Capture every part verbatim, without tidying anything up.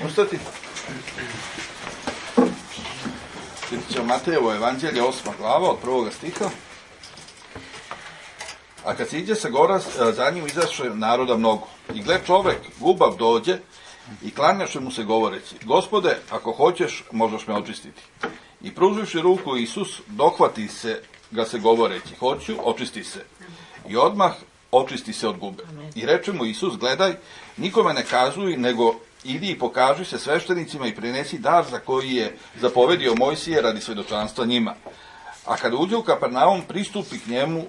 ustati. Čitat ćemo Matejevo evanđelje, osma glava, od prvoga stiha. A kad se iđe sa gora, za njim izašle naroda mnogo. I gle, čovek, gubav, dođe i klanjaše mu se govoreći: Gospode, ako hoćeš, možeš me očistiti. I pruživši ruku, Isus dohvati se ga se govoreći: hoću, očisti se. I odmah očisti se od gube. I reče mu Isus: gledaj, nikome ne kazuj, nego idi i pokaži se sveštenicima i prinesi dar za koji je zapovedio Mojsije radi svedočanstva njima. A kada uđe u Kapernaum, pristupi k njemu e,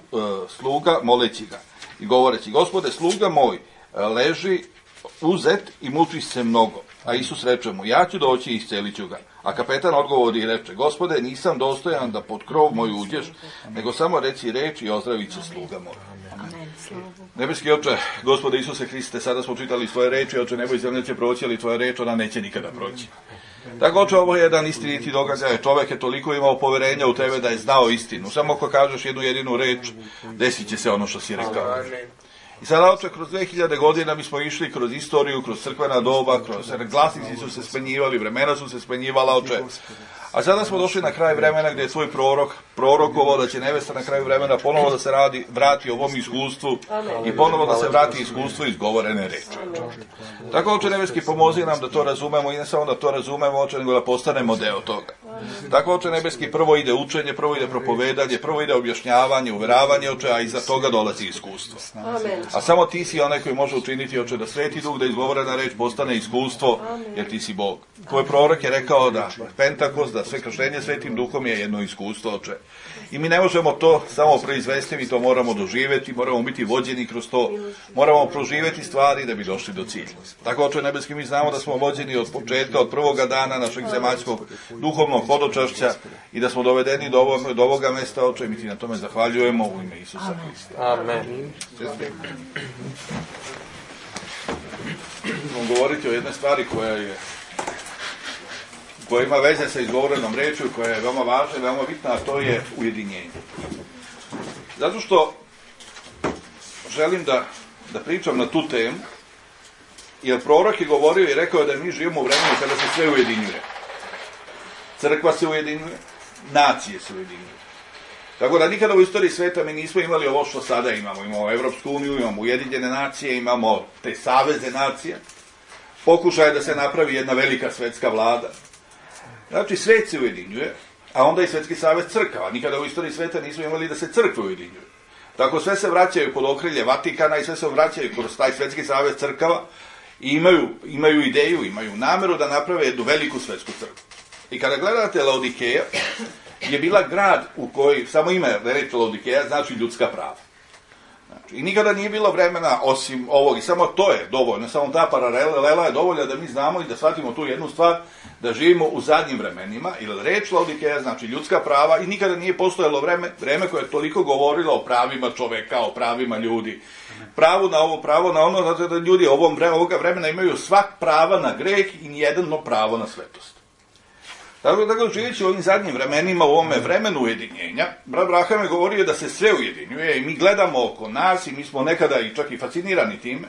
sluga moleći ga i govoreći: Gospode, sluga moj e, leži uzet i muči se mnogo. A Isus reče mu: ja ću doći i iscelit ću ga. A kapetan odgovori i reče: Gospode, nisam dostojan da pod krov moj uđeš, nego samo reci reč i ozdravit će sluga moj. Nebeski Oče, Gospode Isuse Hriste, sada smo čitali svoje reči, Oče, nebo i zemlje će proći, ali tvoja reč, ona neće nikada proći. Tako, Oče, ovo je jedan istiniti događaj. Čovek je toliko imao poverenja u tebe da je znao istinu. Samo ako kažeš jednu jedinu reč, desit će se ono što si rekao. I sada, Oče, kroz dve hiljade godina mi smo išli kroz istoriju, kroz crkvena doba, kroz glasnici su se smenjivali, vremena su se smenjivala, Oče. A sada smo došli na kraj vremena gdje je svoj prorok prorokovao da će nevesta na kraju vremena ponovo da se radi, vrati ovom iskustvu i ponovo da se vrati iskustvu izgovorene reči. Tako, Oče nebeski, pomozi nam da to razumemo i ne samo da to razumemo, Oče, nego da postanemo deo toga. Tako, Oče nebeski, prvo ide učenje, prvo ide propovedanje, prvo ide objašnjavanje, uveravanje, Oče, a iza toga dolazi iskustvo. A samo ti si onaj koji može učiniti, Oče, da Sveti Duh, da izgovorena reč postane iskustvo, jer ti si Bog. Tvoj prorok je rekao da Pentakost, da sve krštenje Svetim Duhom je jedno iskustvo, Oče. I mi ne možemo to samo proizvesti, mi to moramo doživjeti, moramo biti vođeni kroz to, moramo proživjeti stvari da bi došli do cilja. Tako, Oče nebeski, mi znamo da smo vođeni od početka, od prvoga dana našeg zemaljskog duhovnog hodočašća i da smo dovedeni do, ovog, do ovoga mesta, Oče, mi ti na tome zahvaljujemo u ime Isusa Hrista. Amen. Ćemo govoriti o jednoj stvari koja je koja ima veze sa izgovorenom rečju, koja je veoma važna i veoma bitna, a to je ujedinjenje. Zato što želim da, da pričam na tu temu, jer prorok je govorio i rekao da mi živimo u vremenu kada se sve ujedinjuje. Crkva se ujedinjuje, nacije se ujedinjuje. Tako da nikada u istoriji sveta mi nismo imali ovo što sada imamo. Imamo Evropsku uniju, imamo Ujedinjene nacije, imamo te saveze nacije. Pokušaj da se napravi jedna velika svetska vlada. Znači, svet se ujedinjuje, a onda i Svetski savez crkava. Nikada u istoriji sveta nismo imali da se crkve ujedinjuju. Tako sve se vraćaju pod okrilje Vatikana i sve se vraćaju kroz taj Svetski savez crkava i imaju, imaju ideju, imaju nameru da naprave jednu veliku svetsku crkvu. I kada gledate Laodikeja, je bila grad u koji, samo ime reč Laodikeja, znači ljudska prava. Znači, i nikada nije bilo vremena osim ovog, i samo to je dovoljno, samo ta paralela je dovoljna da mi znamo i da shvatimo tu jednu stvar, da živimo u zadnjim vremenima, ili reč Laodikeja znači ljudska prava, i nikada nije postojalo vreme, vreme koje je toliko govorilo o pravima čoveka, o pravima ljudi, pravo na ovo, pravo na ono, zato da ljudi ovom vreme, ovoga vremena imaju svak prava na greh i nijedno pravo na svetost. Tako da, živeći u ovim zadnjim vremenima, u ovome vremenu ujedinjenja, brat Braham je govorio da se sve ujedinjuje i mi gledamo oko nas i mi smo nekada i čak i fascinirani time,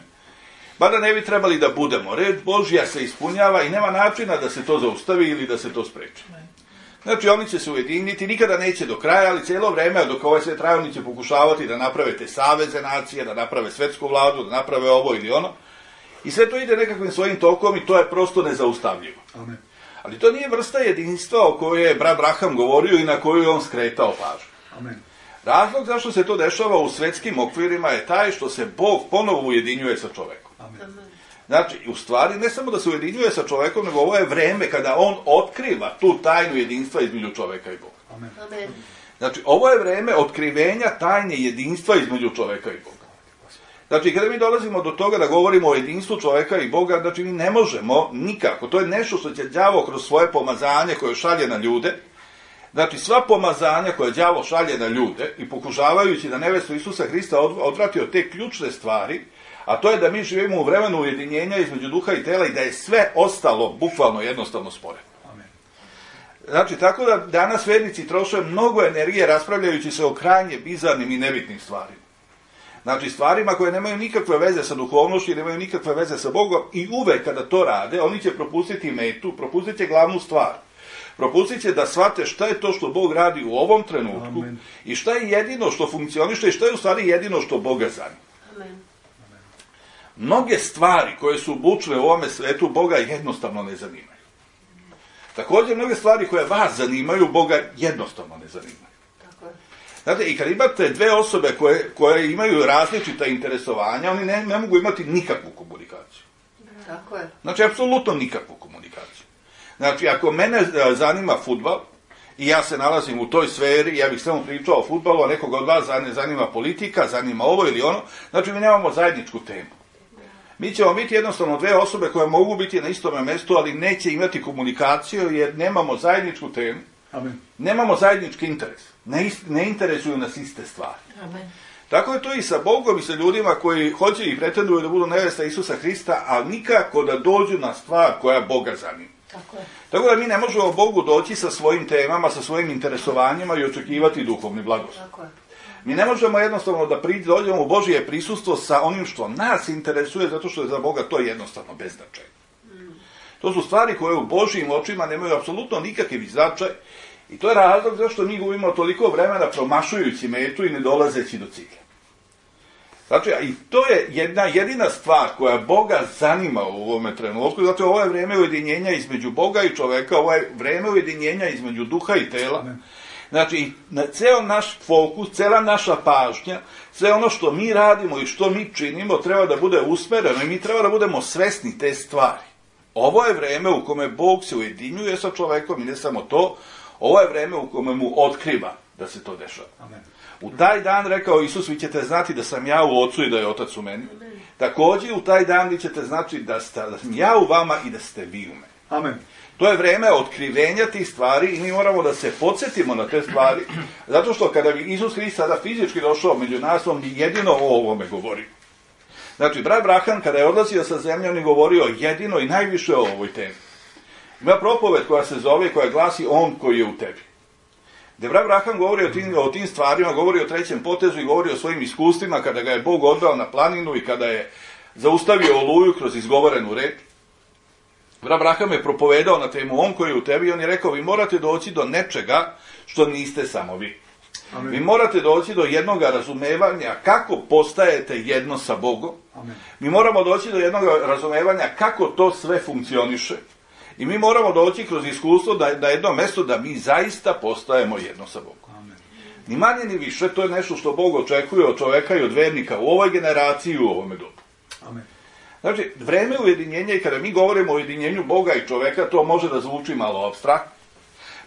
ba da ne bi trebali da budemo. Red Božja se ispunjava i nema načina da se to zaustavi ili da se to spreči. Znači, oni će se ujediniti, nikada neće do kraja, ali cijelo vreme, dok ovaj sve traje, oni će pokušavati da naprave te saveze nacije, da naprave svetsku vladu, da naprave ovo ili ono. I sve to ide nekakvim svojim tokom i to je prosto nezaustavljivo. Amen. Ali to nije vrsta jedinstva o kojoj je brat Braham govorio i na koju je on skretao pažnju. Amen. Razlog zašto se to dešava u svetskim okvirima je taj što se Bog ponovo ujedinjuje sa čovekom. Amen. Znači, u stvari, ne samo da se ujedinjuje sa čovekom, nego ovo je vreme kada on otkriva tu tajnu jedinstva između čoveka i Boga. Amen. Amen. Znači, ovo je vreme otkrivenja tajne jedinstva između čoveka i Boga. Znači, kada mi dolazimo do toga da govorimo o jedinstvu čoveka i Boga, znači mi ne možemo nikako. To je nešto što će đavo kroz svoje pomazanje koje šalje na ljude. Znači, sva pomazanja koje đavo šalje na ljude i pokušavajući da nevestu Isusa Hrista odvrati od te ključne stvari, a to je da mi živimo u vremenu ujedinjenja između duha i tela i da je sve ostalo bukvalno jednostavno sporedno. Znači, tako da danas vernici troše mnogo energije raspravljajući se o krajnje bizarnim i nebitnim stvarima. Znači, stvarima koje nemaju nikakve veze sa duhovnošću i nemaju nikakve veze sa Bogom, i uvek kada to rade, oni će propustiti metu, propustit će glavnu stvar. Propustit će da shvate šta je to što Bog radi u ovom trenutku. Amen. I šta je jedino što funkcioniše i šta je u stvari jedino što Boga zanima. Amen. Mnoge stvari koje su bučne u ovome svetu Boga jednostavno ne zanimaju. Također, mnoge stvari koje vas zanimaju, Boga jednostavno ne zanimaju. Znate, i kad imate dve osobe koje, koje imaju različita interesovanja, oni ne, ne mogu imati nikakvu komunikaciju. Tako je. Znači, apsolutno nikakvu komunikaciju. Znači, ako mene zanima fudbal i ja se nalazim u toj sferi, ja bih samo pričao o fudbalu, a nekoga od vas zanima politika, zanima ovo ili ono, znači mi nemamo zajedničku temu. Mi ćemo biti jednostavno dve osobe koje mogu biti na istome mjestu, ali neće imati komunikaciju jer nemamo zajedničku temu. Amen. Nemamo zajednički interes. Ne, ne interesuju nas iste stvari. Amen. Tako je to i sa Bogom i sa ljudima koji hoće i pretenduju da budu nevesta Isusa Hrista, ali nikako da dođu na stvar koja Boga zanima. Tako je. Tako da mi ne možemo Bogu doći sa svojim temama, sa svojim interesovanjima i očekivati duhovni blagoslov. Tako je. Mi ne možemo jednostavno da dođemo u Božje prisustvo sa onim što nas interesuje, zato što je za Boga to jednostavno beznačajno. Mm. To su stvari koje u Božjim očima nemaju apsolutno nikakav značaj i to je razlog zašto mi gubimo toliko vremena promašujući metu i ne dolazeći do cilja. Znači, i to je jedna jedina stvar koja Boga zanima u ovome trenutku, zato ovo je vreme ujedinjenja između Boga i čoveka, ovo je vreme ujedinjenja između duha i tela. Amen. Znači, ceo naš fokus, cela naša pažnja, sve ono što mi radimo i što mi činimo treba da bude usmereno i mi treba da budemo svesni te stvari. Ovo je vreme u kome Bog se ujedinjuje sa čovekom i ne samo to, ovo je vreme u kome mu otkriva da se to dešava. Amen. U taj dan, rekao Isus, vi ćete znati da sam ja u Ocu i da je Otac u meni. Amen. Također u taj dan vi ćete znati da, sta, da sam ja u vama i da ste vi u meni. Amen. To je vreme otkrivenja tih stvari i mi moramo da se podsjetimo na te stvari, zato što kada bi Isus Hrist sada fizički došao među nas, on bi jedino o ovome govorio. Znači, brat Brahan, kada je odlazio sa zemlje, on je govorio jedino i najviše o ovoj temi. Ima propoved koja se zove, koja glasi On koji je u tebi. Gde brat Brahan govori o tim, o tim stvarima, govori o trećem potezu i govori o svojim iskustvima kada ga je Bog odveo na planinu i kada je zaustavio oluju kroz izgovorenu reč. Brat Braham je propovedao na temu On koji je u tebi i on je rekao, vi morate doći do nečega što niste samo vi. Amen. Vi morate doći do jednog razumevanja kako postajete jedno sa Bogom. Amen. Mi moramo doći do jednog razumevanja kako to sve funkcioniše. I mi moramo doći kroz iskustvo da, da jedno mjesto da mi zaista postajemo jedno sa Bogom. Amen. Ni manje ni više, to je nešto što Bog očekuje od čoveka i od vernika u ovoj generaciji i u ovome dobu. Amen. Znači, vreme ujedinjenja i kada mi govorimo o ujedinjenju Boga i čoveka, to može da zvuči malo apstraktno.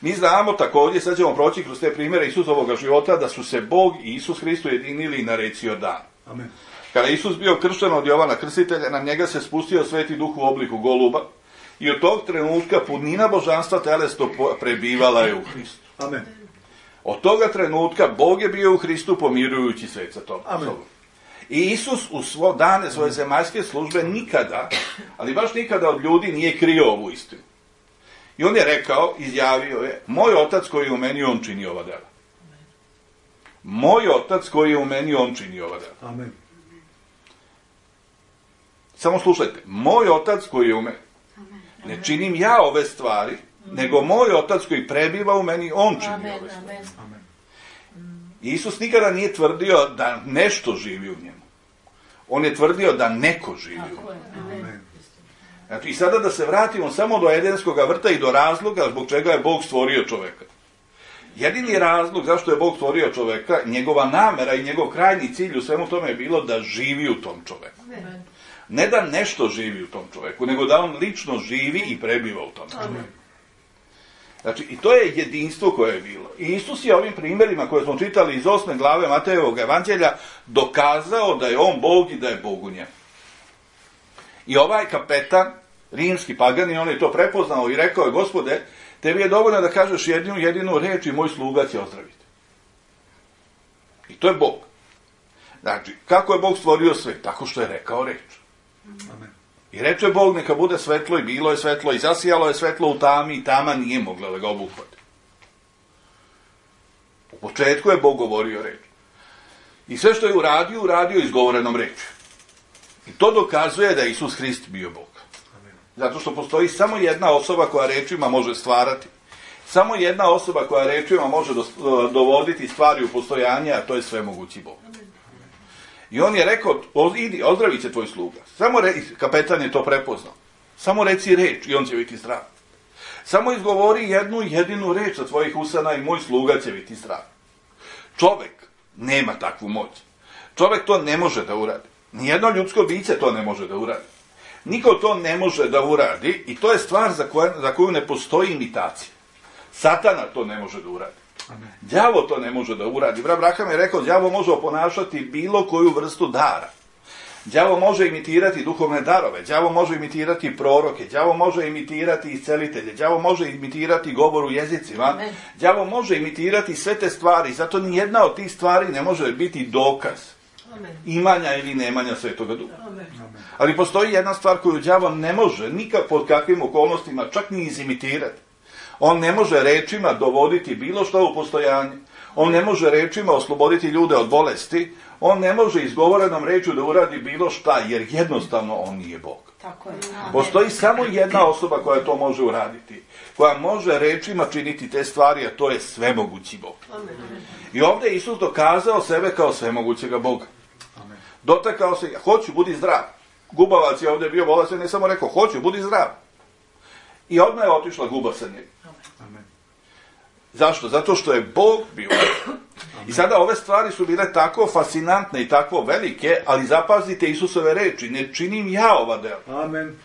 Mi znamo također, sad ćemo proći kroz te primjere Isusovog života, da su se Bog i Isus Hrist ujedinili na reci Jordan. Amen. Kada Isus bio kršten od Jovana Krstitelja, na njega se spustio Sveti Duh u obliku goluba i od tog trenutka punina božanstva telesno prebivala je u Hristu. Amen. Od toga trenutka Bog je bio u Hristu pomirujući svet sa tom sobom. I Isus u svo dane svoje zemaljske službe nikada, ali baš nikada od ljudi nije krio ovu istinu. I on je rekao, izjavio je, moj Otac koji je u meni, on čini ova dela. Moj Otac koji je u meni, on čini ova dela. Amen. Samo slušajte, moj Otac koji je u meni. Ne činim ja ove stvari, nego moj Otac koji prebiva u meni, on čini Amen. Ove stvari. Amen. Isus nikada nije tvrdio da nešto živi u njemu. On je tvrdio da neko živi u njemu. Znači, i sada da se vratimo samo do Edenskog vrta i do razloga zbog čega je Bog stvorio čoveka. Jedini razlog zašto je Bog stvorio čoveka, njegova namera i njegov krajnji cilj u svemu tome je bilo da živi u tom čoveku. Ne da nešto živi u tom čoveku, nego da on lično živi i prebiva u tom čoveku. Znači, i to je jedinstvo koje je bilo. I Isus je ovim primjerima koje smo čitali iz osme glave Matejevog evanđelja dokazao da je on Bog i da je Bog u njemu. I ovaj kapetan, rimski pagani, on je to prepoznao i rekao je, Gospode, tebi je dovoljno da kažeš jedinu jedinu reč i moj sluga će ozdraviti. I to je Bog. Znači, kako je Bog stvorio sve? Tako što je rekao reč. Amen. I reče Bog, neka bude svetlo i bilo je svetlo i zasijalo je svetlo u tami i tama nije mogla da ga obuhvati. U početku je Bog govorio reč. I sve što je uradio, uradio izgovorenom reči. I to dokazuje da je Isus Hrist bio Bog. Zato što postoji samo jedna osoba koja rečima može stvarati. Samo jedna osoba koja rečima može dovoditi stvari u postojanje, a to je svemogući Bog. I on je rekao, idi, ozdravit će tvoj sluga. Samo re, kapetan je to prepoznao. Samo reci reč i on će biti zdrav. Samo izgovori jednu jedinu reč sa tvojih usana i moj sluga će biti zdrav. Čovek nema takvu moć. Čovek to ne može da uradi. Nijedno ljudsko biće to ne može da uradi. Niko to ne može da uradi i to je stvar za koju, za koju ne postoji imitacija. Satana to ne može da uradi. Đavo to ne može da uradi. Brat Braham je rekao, đavo može oponašati bilo koju vrstu dara. Đavo može imitirati duhovne darove, đavo može imitirati proroke, đavo može imitirati iscelitelje, đavo može imitirati govor u jezicima, đavo može imitirati sve te stvari, zato nijedna od tih stvari ne može biti dokaz imanja ili nemanja Svetoga Duha. Ali postoji jedna stvar koju đavo ne može nikak pod kakvim okolnostima čak ni izimitirati. On ne može rečima dovoditi bilo što u postojanje. On ne može rečima osloboditi ljude od bolesti. On ne može izgovorenom rečju da uradi bilo šta, jer jednostavno on nije Bog. Tako je. Postoji samo jedna osoba koja to može uraditi. Koja može rečima činiti te stvari, a to je svemogući Bog. I ovdje je Isus dokazao sebe kao svemogućega Boga. Dotakao se, hoću, budi zdrav. Gubavac je ovdje bio bolestan, ne samo rekao, hoću, budi zdrav. I odmah je otišla guba sa njega. Amen. Zašto? Zato što je Bog bio. I sada ove stvari su bile tako fascinantne i tako velike, ali zapazite Isusove reči, ne činim ja ova dela. Amen.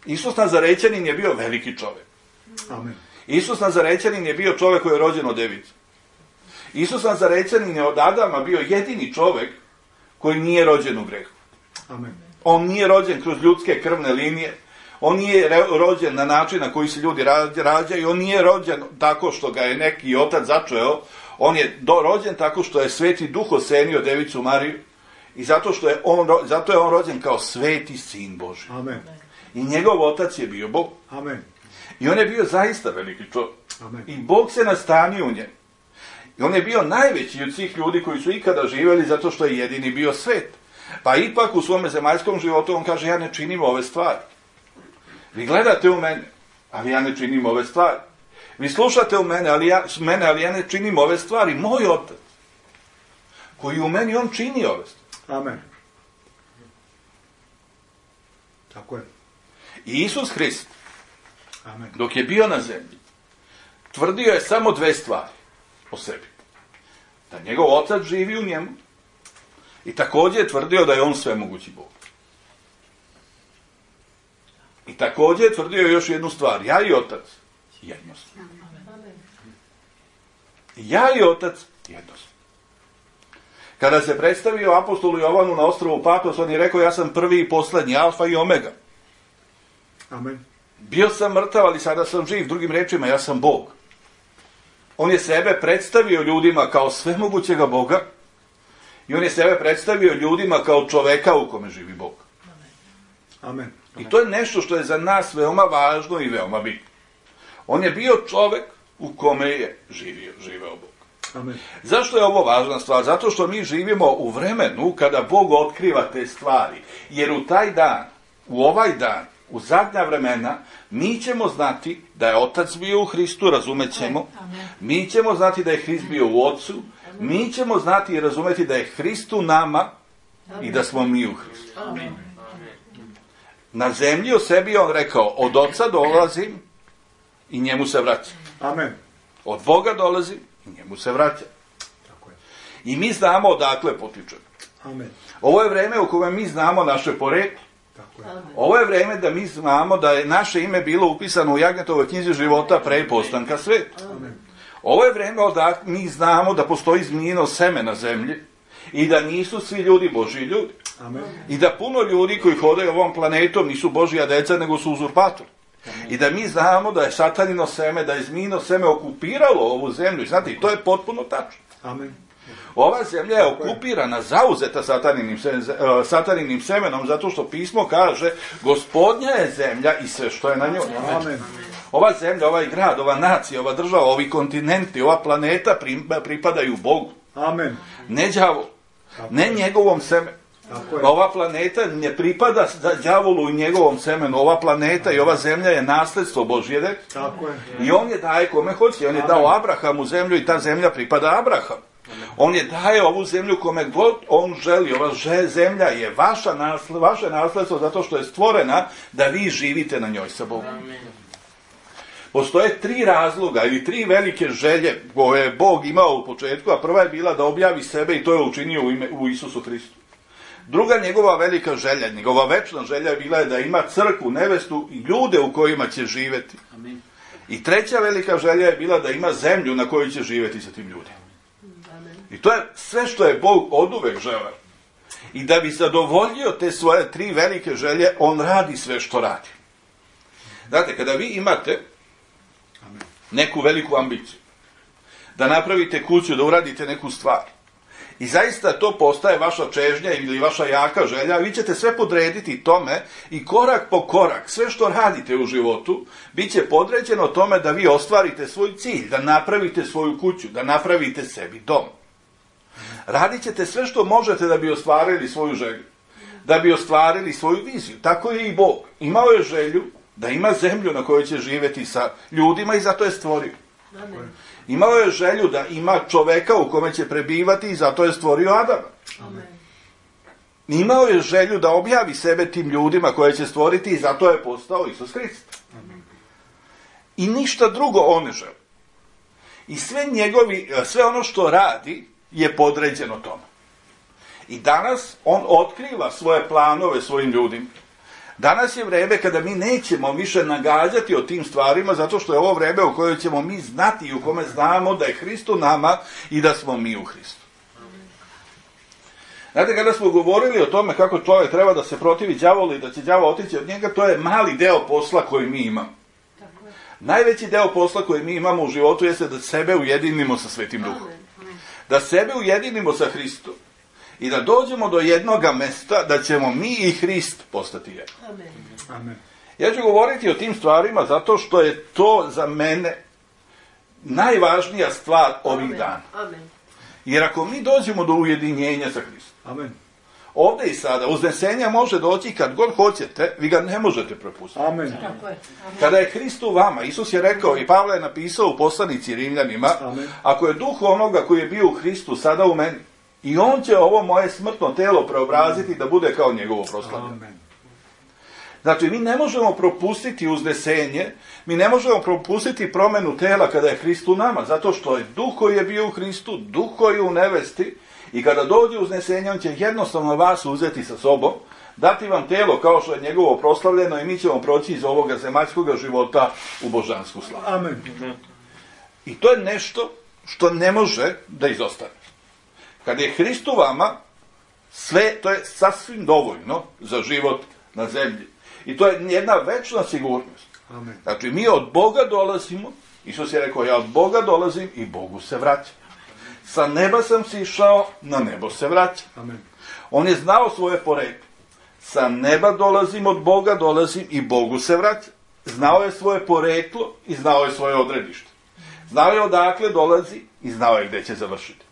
Isus Nazarećanin je bio veliki čovjek. Amen. Isus Nazarećanin je bio čovjek koji je rođen od device. Isus Nazarećanin je od Adama bio jedini čovjek koji nije rođen u grehu. Amen. On nije rođen kroz ljudske krvne linije. On nije rođen na način na koji se ljudi rađaju, on nije rođen tako što ga je neki otac začeo, on je do, rođen tako što je Sveti Duh osenio devicu Mariju i zato, što je on, zato je on rođen kao sveti sin Božji. Amen. I njegov otac je bio Bog. Amen. I on je bio zaista veliki čovjek. Amen. I Bog se nastanio u njemu. I on je bio najveći od svih ljudi koji su ikada živjeli zato što je jedini bio svet. Pa ipak u svome zemaljskom životu on kaže, ja ne činim ove stvari. Vi gledate u mene, ali ja ne činim ove stvari. Vi slušate u mene, ali ja, mene, ali ja ne činim ove stvari. Moj otac, koji u meni, on čini ove stvari. Amen. Tako je. I Isus Hrist, Amen. dok je bio na zemlji, tvrdio je samo dve stvari o sebi. Da njegov otac živi u njemu i također je tvrdio da je on svemogući Bog. I također je tvrdio još jednu stvar. Ja i otac jedno smo. Ja i otac jedno smo. Kada se predstavio apostolu Jovanu na ostrvu Patmos, on je rekao, ja sam prvi i posljednji, alfa i omega. Amen. Bio sam mrtav, ali sada sam živ. Drugim rečima, ja sam Bog. On je sebe predstavio ljudima kao svemogućega Boga i on je sebe predstavio ljudima kao čoveka u kome živi Bog. Amen. I to je nešto što je za nas veoma važno i veoma bitno. On je bio čovek u kome je živio, živeo Bog. Amen. Zašto je ovo važna stvar? Zato što mi živimo u vremenu kada Bog otkriva te stvari. Jer u taj dan, u ovaj dan, u zadnja vremena, mi ćemo znati da je Otac bio u Hristu, razumet ćemo. Mi ćemo znati da je Hrist bio u Otcu. Mi ćemo znati i razumeti da je Hrist u nama i da smo mi u Hristu. Na zemlji o sebi on rekao, od Oca dolazim i njemu se vraćam. Amen. Od Boga dolazim i njemu se vraćam. Tako je. I mi znamo odakle potičemo. Amen. Ovo je vreme u kojem mi znamo naše poreklo. Tako je. Ovo je vreme da mi znamo da je naše ime bilo upisano u Jagnetovoj knjizi života pre postanka sveta. Amen. Ovo je vreme da mi znamo da postoji zmijino seme na zemlji i da nisu svi ljudi Božji ljudi. Amen. I da puno ljudi koji hodaju ovom planetom nisu Božja deca, nego su uzurpatori. I da mi znamo da je satanino seme, da je zmijino seme okupiralo ovu zemlju. Znate, i to je potpuno tačno. Amen. Ova zemlja je okupirana, zauzeta sataninim, sataninim semenom, zato što pismo kaže, Gospodnja je zemlja i sve što je na njoj. Amen. Ova zemlja, ovaj grad, ova nacija, ova država, ovi kontinenti, ova planeta pripadaju Bogu. Amen. Ne đavo, ne njegovom semenu. Tako je. Ova planeta ne pripada đavolu i njegovom semenu. Ova planeta i ova zemlja je nasljedstvo Božje. Tako je. I on je daje kome hoće. On je dao Abrahamu zemlju i ta zemlja pripada Abrahamu. On je daje ovu zemlju kome god on želi. Ova zemlja je vaša nasled, vaše nasljedstvo zato što je stvorena da vi živite na njoj sa Bogom. Postoje tri razloga ili tri velike želje koje je Bog imao u početku, a prva je bila da objavi sebe i to je učinio u, ime, u Isusu Hristu. Druga njegova velika želja, njegova večna želja je bila da ima crkvu, nevestu i ljude u kojima će živjeti. Amen. I treća velika želja je bila da ima zemlju na kojoj će živjeti sa tim ljudima. Amen. I to je sve što je Bog oduvek želeo. I da bi zadovoljio te svoje tri velike želje, on radi sve što radi. Znate, kada vi imate neku veliku ambiciju, da napravite kuću, da uradite neku stvar, i zaista to postaje vaša čežnja ili vaša jaka želja, vi ćete sve podrediti tome i korak po korak, sve što radite u životu, bit će podređeno tome da vi ostvarite svoj cilj, da napravite svoju kuću, da napravite sebi dom. Radit ćete sve što možete da bi ostvarili svoju želju, da bi ostvarili svoju viziju. Tako je i Bog. Imao je želju da ima zemlju na kojoj će živjeti sa ljudima i zato je stvorio. Amen. Imao je želju da ima čoveka u kome će prebivati i zato je stvorio Adama. Amen. Imao je želju da objavi sebe tim ljudima koje će stvoriti i zato je postao Isus Hrist. I ništa drugo on ne želi. I sve njegovi, sve ono što radi je podređeno tome. I danas on otkriva svoje planove svojim ljudima. Danas je vreme kada mi nećemo više nagađati o tim stvarima, zato što je ovo vreme u kojoj ćemo mi znati i u kome znamo da je Hrist u nama i da smo mi u Hristu. Znate, kada smo govorili o tome kako čovjek treba da se protivi đavolu i da će đavo otići od njega, to je mali deo posla koji mi imamo. Najveći deo posla koji mi imamo u životu jeste da sebe ujedinimo sa Svetim Duhom. Da sebe ujedinimo sa Hristom. I da dođemo do jednoga mesta da ćemo mi i Hrist postati jedno. Amen. Amen. Ja ću govoriti o tim stvarima zato što je to za mene najvažnija stvar ovih Amen. dana. Amen. Jer ako mi dođemo do ujedinjenja sa Hristom, Amen. ovdje i sada, uznesenja može doći kad god hoćete, vi ga ne možete propustiti. Amen. Tako je. Amen. Kada je Hrist u vama, Isus je rekao i Pavle je napisao u poslanici Rimljanima, Amen. ako je duh onoga koji je bio u Hristu sada u meni, i on će ovo moje smrtno telo preobraziti da bude kao njegovo proslavljeno. Amen. Znači, mi ne možemo propustiti uznesenje, mi ne možemo propustiti promenu tela kada je Hrist u nama, zato što je duh koji je bio u Hristu, duh koji je u nevesti, i kada dođe uznesenje, on će jednostavno vas uzeti sa sobom, dati vam telo kao što je njegovo proslavljeno i mi ćemo proći iz ovoga zemaljskog života u božansku slavu. Amen. I to je nešto što ne može da izostane. Kad je Hrist u vama, sve to je sasvim dovoljno za život na zemlji. I to je jedna večna sigurnost. Amen. Znači, mi od Boga dolazimo, Isus je rekao, ja od Boga dolazim i Bogu se vraćam. Sa neba sam sišao, na nebo se vraćam. Amen. On je znao svoje poreklo. Sa neba dolazim, od Boga dolazim i Bogu se vraćam. Znao je svoje poreklo i znao je svoje odredište. Znao je odakle dolazi i znao je gde će završiti.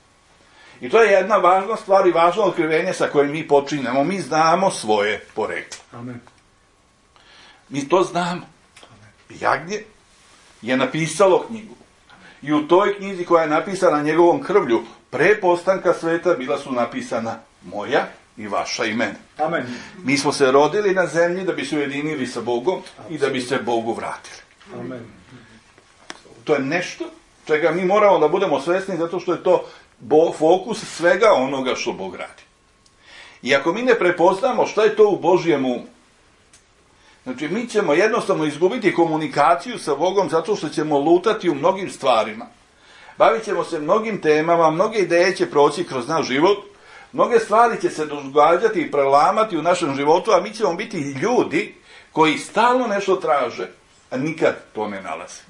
I to je jedna važna stvar i važno otkrivenje sa kojim mi počinjemo. Mi znamo svoje poreklo. Amen. Mi to znamo. Jagnje je napisalo knjigu. I u toj knjizi koja je napisana njegovom krvlju, pre postanka sveta bila su napisana moja i vaša imena. Amen. Mi smo se rodili na zemlji da bi se ujedinili sa Bogom i da bi se Bogu vratili. Amen. To je nešto čega mi moramo da budemo svesni zato što je to bo, fokus svega onoga što Bog radi. I ako mi ne prepoznamo šta je to u Božjem umu, znači mi ćemo jednostavno izgubiti komunikaciju sa Bogom zato što ćemo lutati u mnogim stvarima. Bavit ćemo se mnogim temama, mnoge ideje će proći kroz naš život, mnoge stvari će se događati i prelamati u našem životu, a mi ćemo biti ljudi koji stalno nešto traže, a nikad to ne nalaze.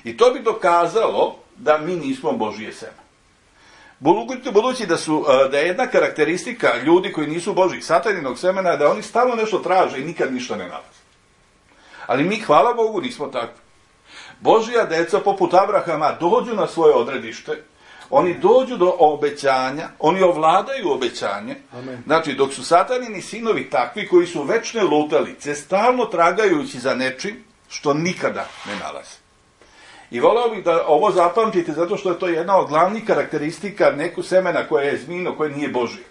I to bi dokazalo da mi nismo Božije seme. Budući da, su, da je jedna karakteristika ljudi koji nisu Božji sataninog semena, da oni stalno nešto traže i nikad ništa ne nalaze. Ali mi, hvala Bogu, nismo takvi. Božja deca poput Abrahama dođu na svoje odredište, Oni dođu do obećanja, oni ovladaju obećanje. Amen. Znači, dok su satanini sinovi takvi koji su večne lutalice, stalno tragajući za nečim što nikada ne nalaze. I voleo bih da ovo zapamtite, zato što je to jedna od glavnih karakteristika neku semena koje je zmino, koje nije Božje.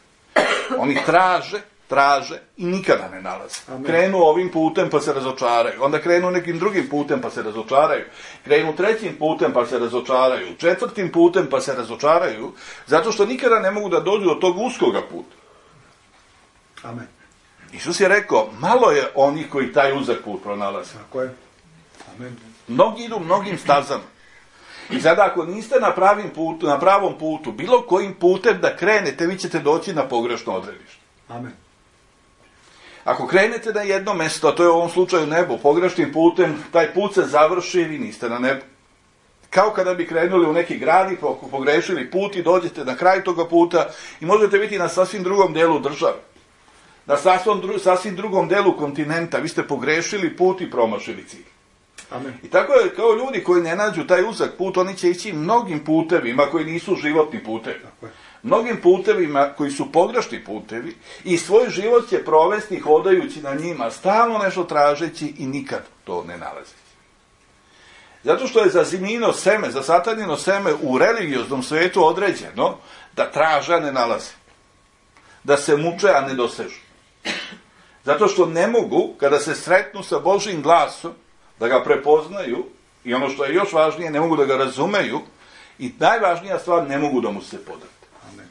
Oni traže, traže i nikada ne nalaze. Amen. Krenu ovim putem pa se razočaraju, onda krenu nekim drugim putem pa se razočaraju, krenu trećim putem pa se razočaraju, četvrtim putem pa se razočaraju, zato što nikada ne mogu da dođu do tog uskoga puta. Amen. Isus je rekao, malo je onih koji taj uzak put pronalaze. Tako je. Amen. Mnogi idu mnogim stazama. I sada ako niste na, pravim putu, na pravom putu, bilo kojim putem da krenete, vi ćete doći na pogrešno odredište. Amen. Ako krenete na jedno mesto, a to je u ovom slučaju nebo, pogrešnim putem, taj put se završi i vi niste na nebu. Kao kada bi krenuli u neki grad i pogrešili put i dođete na kraj toga puta i možete biti na sasvim drugom delu države. Na sasvim, dru, sasvim drugom delu kontinenta. Vi ste pogrešili put i promašili cilj. Amen. I tako je, kao ljudi koji ne nađu taj uzak put, oni će ići mnogim putevima koji nisu životni putevi. Tako je. Mnogim putevima koji su pogrešni putevi i svoj život će provesti hodajući na njima, stalno nešto tražeći i nikad to ne nalazeći. Zato što je za zimino seme, za satanino seme u religioznom svetu određeno da traže, a ne nalaze. Da se muče, a ne dosežu. Zato što ne mogu, kada se sretnu sa Božjim glasom, da ga prepoznaju i ono što je još važnije, ne mogu da ga razumeju i najvažnija stvar, ne mogu da mu se podati. Amen.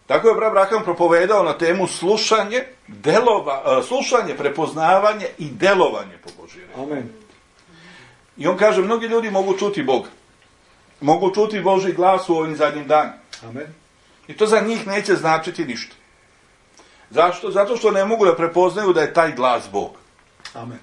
Tako je brat Abraham propovedao na temu slušanje, delova, slušanje, prepoznavanje i delovanje po Božjoj reči. Amen. I on kaže, mnogi ljudi mogu čuti Boga. Mogu čuti Božji glas u ovim zadnjim danima. Amen. I to za njih neće značiti ništa. Zašto? Zato što ne mogu da prepoznaju da je taj glas Bog. Amen.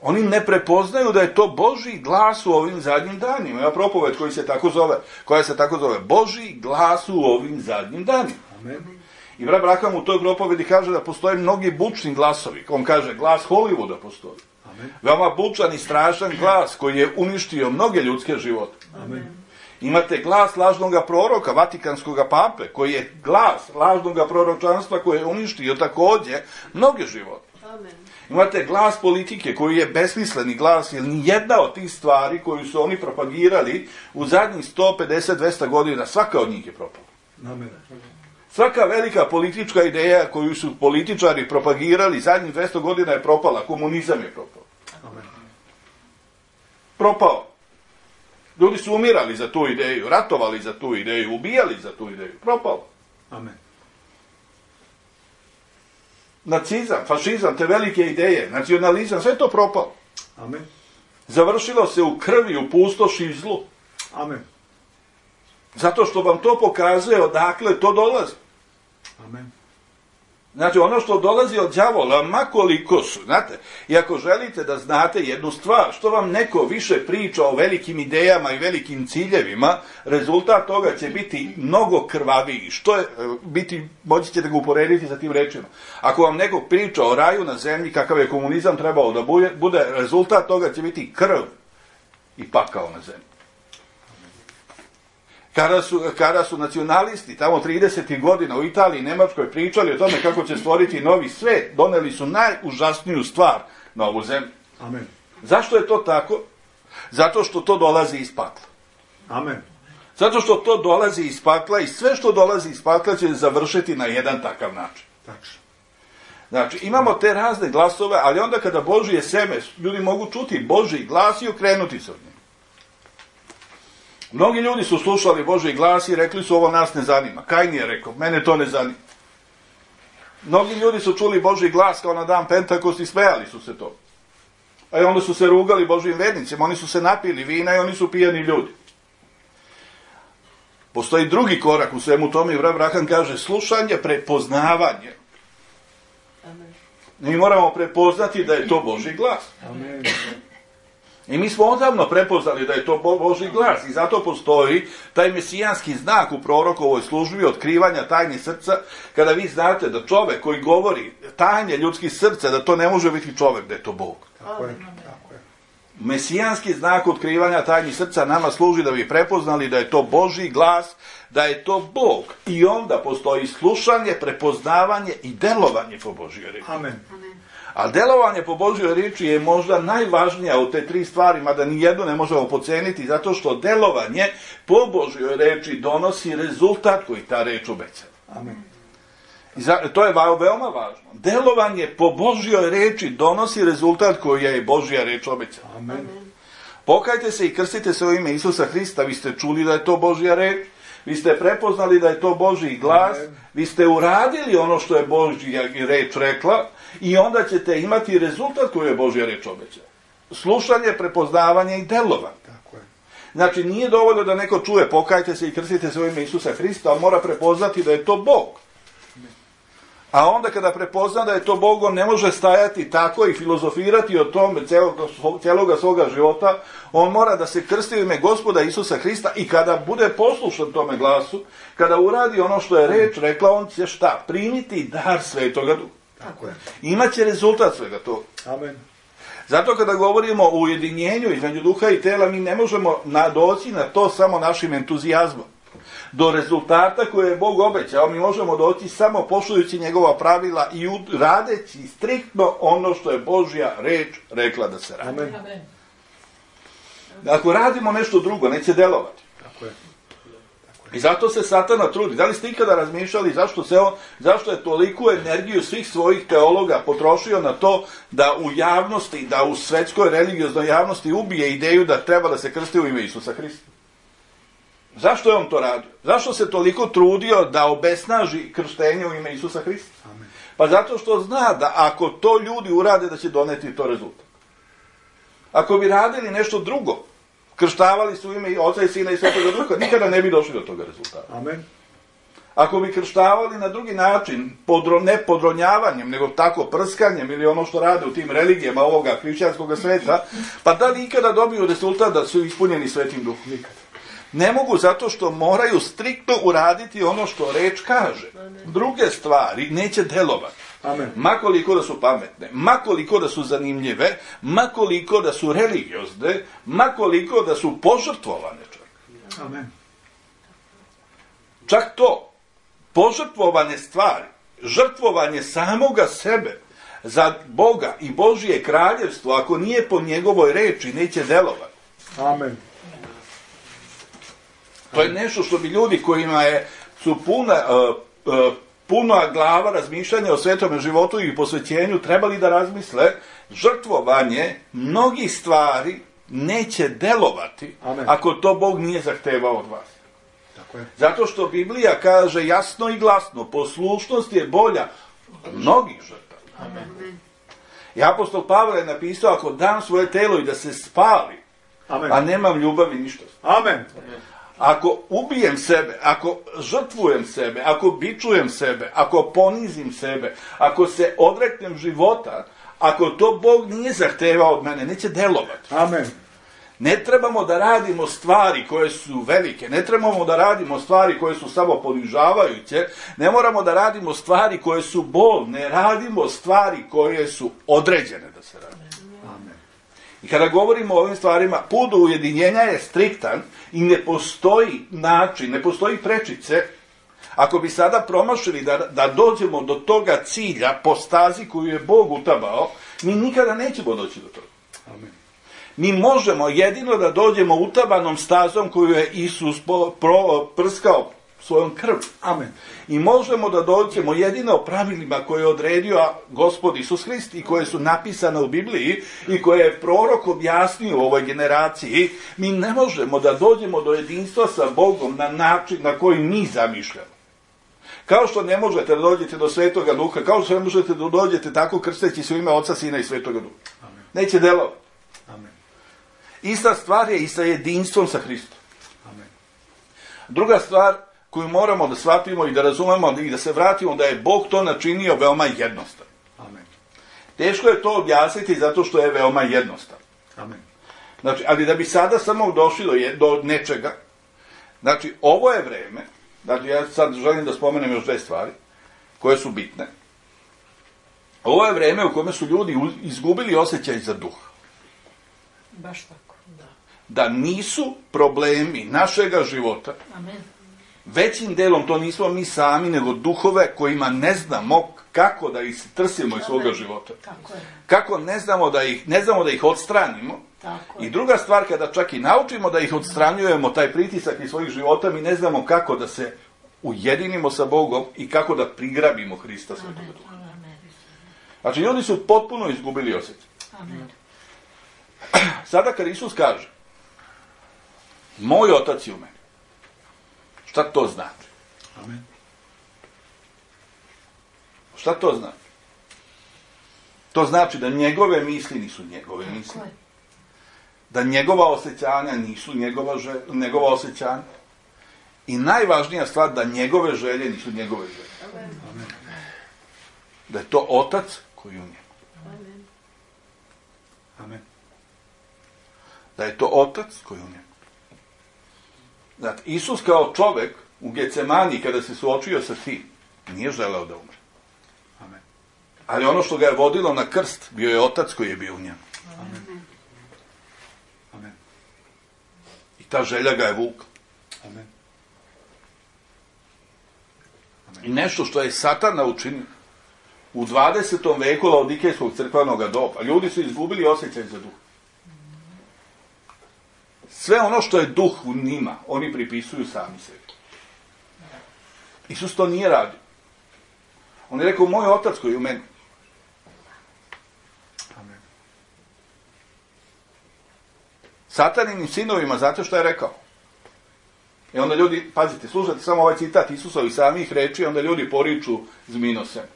Oni ne prepoznaju da je to Božji glas u ovim zadnjim danima. Ima propoved koji se tako zove, koja se tako zove Božji glas u ovim zadnjim danima. Amen. I brat Abraham u toj propovedi kaže da postoje mnogi bučni glasovi. On kaže, glas Hollywooda postoji. Amen. Veoma bučan i strašan glas koji je uništio mnoge ljudske živote. Amen. Imate glas lažnog proroka, vatikanskog pape, koji je glas lažnog proročanstva koji je uništio također mnoge živote. Amen. Imate glas politike koji je besmisleni glas, jer ni jedna od tih stvari koju su oni propagirali u zadnjih sto pedeset do dvesta godina, svaka od njih je propala. Amen. Svaka velika politička ideja koju su političari propagirali zadnjih dvesta godina je propala. Komunizam je propao. Amen. Propao. Ljudi su umirali za tu ideju, ratovali za tu ideju, ubijali za tu ideju. Propao. Amen. Nacizam, fašizam, te velike ideje, nacionalizam, sve je to propalo. Amen. Završilo se u krvi, u pustoši i zlu. Amen. Zato što vam to pokazuje odakle to dolazi. Amen. Znači, ono što dolazi od đavola, makoliko su, znate, i ako želite da znate jednu stvar, što vam neko više priča o velikim idejama i velikim ciljevima, rezultat toga će biti mnogo krvaviji. Što je, biti, moći ćete ga uporediti sa tim rečima. Ako vam neko priča o raju na zemlji, kakav je komunizam trebao da bude, rezultat toga će biti krv i pakao na zemlji. Kada su, kada su nacionalisti tamo tridesetih godina u Italiji i Nemačkoj pričali o tome kako će stvoriti novi svet, doneli su najužasniju stvar na ovu zemlju. Amen. Zašto je to tako? Zato što to dolazi iz pakla. Amen. Zato što to dolazi iz pakla i sve što dolazi iz pakla će završiti na jedan takav način. Tačno. Znači, imamo te razne glasove, ali onda kada Božje seme, ljudi mogu čuti Božji glas i okrenuti se od njega. Mnogi ljudi su slušali Božji glas i rekli su, ovo nas ne zanima. Kajin je rekao, mene to ne zanima. Mnogi ljudi su čuli Božji glas kao na dan Pentakost i smejali su se to. A i onda su se rugali Božjim vernicima, oni su se napili vina i oni su pijani ljudi. Postoji drugi korak u svemu tome i brat Abraham kaže, slušanje, prepoznavanje. Amen. Mi moramo prepoznati da je to Božji glas. Amen. I mi smo odavno prepoznali da je to Božji glas i zato postoji taj mesijanski znak u prorokovoj službi otkrivanja tajni srca, kada vi znate da čovek koji govori tajne ljudskih srca, da to ne može biti čovek, da je to Bog. Tako je. Tako je. Mesijanski znak otkrivanja tajnih srca nama služi da bi prepoznali da je to Božji glas, da je to Bog. I onda postoji slušanje, prepoznavanje i delovanje po Božjoj riječi. Amen. A delovanje po Božjoj riječi je možda najvažnija od te tri stvari, mada nijednu ne možemo podceniti, zato što delovanje po Božjoj riječi donosi rezultat koji ta riječ obećava. Amen. I za, to je veoma važno. Delovanje po Božjoj riječi donosi rezultat koji je Božja riječ obećala. Amen. Pokajte se i krstite se u ime Isusa Hrista, vi ste čuli da je to Božja riječ, vi ste prepoznali da je to Božji glas, Amen. vi ste uradili ono što je Božja riječ rekla i onda ćete imati rezultat koji je Božja riječ obećala. Slušanje, prepoznavanje i delovanje. Tako je. Znači, nije dovoljno da neko čuje pokajte se i krstite se u ime Isusa Hrista, on mora prepoznati da je to Bog. A onda kada prepozna da je to Bog, on ne može stajati tako i filozofirati o tome cijeloga svoga života. On mora da se krsti u ime Gospoda Isusa Hrista i kada bude poslušan tome glasu, kada uradi ono što je reč rekla, on će šta? Primiti dar Svetoga Duha. Tako je. Imaće rezultat svega toga. Amen. Zato kada govorimo o ujedinjenju između duha i tela, mi ne možemo doći na to samo našim entuzijazmom. Do rezultata koje je Bog obećao, mi možemo doći samo poštujući njegova pravila i radeći striktno ono što je Božja reč rekla da se radi. Amen. Ako radimo nešto drugo, neće delovati. Tako je. I zato se Satana trudi. Da li ste ikada razmišljali zašto, se on, zašto je toliku energiju svih svojih teologa potrošio na to da u javnosti, da u svetskoj religioznoj javnosti ubije ideju da treba da se krsti u ime Isusa Hrista? Zašto je on to radio? Zašto se toliko trudio da obesnaži krštenje u ime Isusa Hrista? Amen. Pa zato što zna da ako to ljudi urade da će doneti to rezultat. Ako bi radili nešto drugo, krštavali su u ime Oca i Sina i Svetoga Duha, nikada ne bi došli do toga rezultata. Amen. Ako bi krštavali na drugi način, podro, ne podronjavanjem, nego tako prskanjem ili ono što rade u tim religijama ovoga hrišćanskog sveta, pa da li ikada dobiju rezultat da su ispunjeni Svetim Duhom? Nikada. Ne mogu zato što moraju striktno uraditi ono što reč kaže. Druge stvari neće delovati. Amen. Makoliko da su pametne, makoliko da su zanimljive, makoliko da su religiozne, makoliko da su požrtvovane čak. Amen. Čak to, požrtvovane stvari, žrtvovanje samoga sebe za Boga i Božije kraljevstvo, ako nije po njegovoj reči, neće delovati. Amen. To je nešto što bi ljudi kojima je, su puna, uh, uh, puna glava razmišljanja o svetome životu i posvećenju trebali da razmisle, žrtvovanje mnogih stvari neće delovati. Amen. Ako to Bog nije zahtevao od vas. Tako je. Zato što Biblija kaže jasno i glasno, poslušnost je bolja od mnogih žrtava. Amen. I apostol Pavle je napisao, ako dam svoje telo i da se spali, Amen. a nemam ljubavi ništa. Amen. Ako ubijem sebe, ako žrtvujem sebe, ako bičujem sebe, ako ponizim sebe, ako se odreknem života, ako to Bog nije zahtevao od mene, neće delovati. Amen. Ne trebamo da radimo stvari koje su velike, ne trebamo da radimo stvari koje su samo ponižavajuće, ne moramo da radimo stvari koje su bolne, radimo stvari koje su određene da se radi. Amen. I kada govorimo o ovim stvarima, put do ujedinjenja je striktan i ne postoji način, ne postoji prečice. Ako bi sada promašili da, da dođemo do toga cilja po stazi koju je Bog utabao, mi nikada nećemo doći do toga. Amen. Mi možemo jedino da dođemo utabanom stazom koju je Isus pro, prskao svojom krv. Amen. I možemo da dođemo jedino pravilima koje je odredio Gospod Isus Hrist i koje su napisane u Bibliji i koje je prorok objasnio u ovoj generaciji. Mi ne možemo da dođemo do jedinstva sa Bogom na način na koji mi zamišljamo. Kao što ne možete da dođete do Svetoga Duha, kao što ne možete da dođete tako krsteći se u ime Oca, Sina i Svetoga Duha. Amen. Neće delovati. Amen. Ista stvar je i sa jedinstvom sa Hristom. Amen. Druga stvar koju moramo da shvatimo i da razumemo i da se vratimo da je Bog to načinio veoma jednostavno. Amen. Teško je to objasniti zato što je veoma jednostavno. Amen. Znači, ali da bi sada samo došli do, je, do nečega, znači ovo je vreme, znači ja sad želim da spomenem još dve stvari koje su bitne. Ovo je vreme u kome su ljudi izgubili osjećaj za duh. Baš tako, da. Da nisu problemi našega života, Amen. većim delom to nismo mi sami, nego duhove kojima ne znamo kako da ih trsimo iz svoga života. Tako je. Kako ne znamo da ih, ne znamo da ih odstranimo. Tako I je. druga stvar, kada čak i naučimo da ih odstranjujemo, taj pritisak iz svojih života, mi ne znamo kako da se ujedinimo sa Bogom i kako da prigrabimo Hrista Svetoga Duha. Amen. Znači, ljudi su potpuno izgubili osjećaj. Amen. Sada kad Isus kaže, moj otac je u meni, šta to znači? Amen. Šta to znači? To znači da njegove misli nisu njegove misli. Tako je. Da njegova osjećanja nisu njegova, želja, njegova osjećanja. I najvažnija stvar, da njegove želje nisu njegove želje. Amen. Da je to otac koji je u njemu. Amen. Amen. Da je to otac koji je u njemu. Znate, Isus kao čovek u Getsemani, kada se suočio sa tim, nije želeo da umre. Amen. Ali ono što ga je vodilo na krst, bio je otac koji je bio u njemu. Amen. Amen. I ta želja ga je vukla. Amen. I nešto što je Satana učinio u dvadesetom veku Laodikejskog crkvenog doba. Ljudi su izgubili osjećaj za duh. Sve ono što je duh u njima, oni pripisuju sami sebi. Isus to nije radio. On je rekao, moj otac koji je u meni. Amen. Sataninim sinovima, znate što je rekao? I onda ljudi, pazite, slušajte samo ovaj citat Isusovih samih reči, onda ljudi poriču zminosem.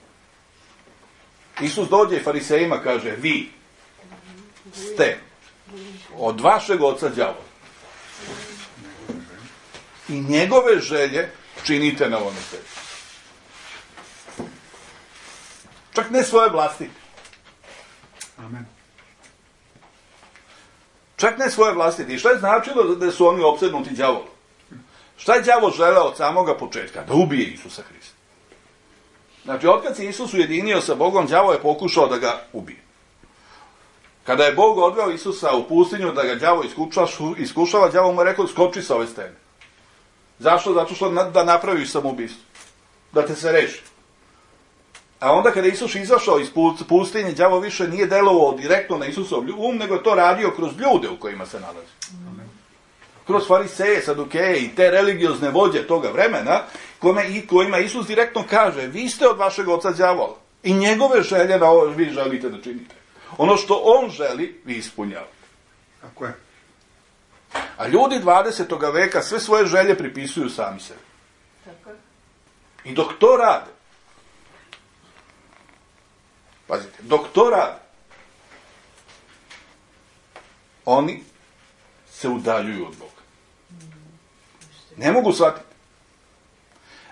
Isus dođe i farisejima kaže, vi ste od vašeg oca đavola i njegove želje činite na ovome svetu. Čak ne svoje vlastite. Amen. Čak ne svoje vlastite. I šta je značilo da su oni opsednuti đavolom? Šta je đavo želeo od samoga početka? Da ubije Isusa Hrista. Znači, otkad se Isus ujedinio sa Bogom, đavo je pokušao da ga ubije. Kada je Bog odveo Isusa u pustinju da ga đavo iskušava, đavo mu je rekao, skoči sa ove stene. Zašto? Zato što da napraviš samoubistvo. Da te se reši. A onda kada je Isus izašao iz pustinje, đavo više nije delovao direktno na Isusov um, nego je to radio kroz ljude u kojima se nalazi. Amen. Kroz fariseje, sadukeje i te religiozne vođe toga vremena, kojima, i kojima Isus direktno kaže, vi ste od vašeg oca đavola i njegove želje na ovo vi želite da činite. Ono što on želi, vi ispunjavate. Tako je. A ljudi dvadesetog veka sve svoje želje pripisuju sami sebi. Tako je. I dok to rade, pazite, dok to rade, oni se udaljuju od Boga. Ne mogu shvatiti.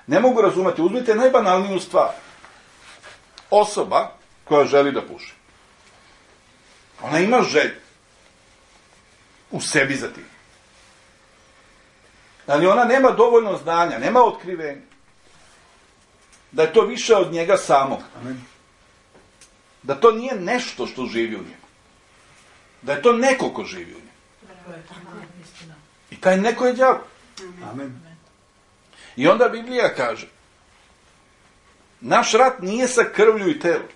Ne mogu razumeti. Uzmite najbanalniju stvar. Osoba koja želi da puši. Ona ima želju u sebi za tim. Ali ona nema dovoljno znanja, nema otkrivenja. Da je to više od njega samog. Amen. Da to nije nešto što živi u njemu. Da je to neko ko živi u njemu. I taj neko je đavo. Amen. I onda Biblija kaže, naš rat nije sa krvlju i telom.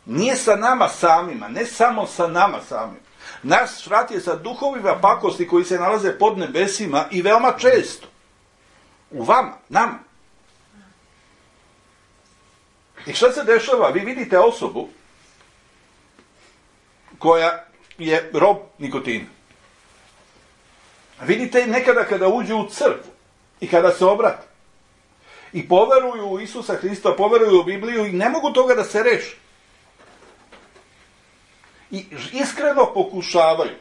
Nije sa nama samima, ne samo sa nama samima. Naš rat je sa duhovima pakosti koji se nalaze pod nebesima i veoma često. U vama, nama. I šta se dešava? Vi vidite osobu koja je rob nikotina. Vidite nekada kada uđu u crkvu i kada se obrate i poveruju u Isusa Hrista, poveruju u Bibliju i ne mogu toga da se reši. I iskreno pokušavaju.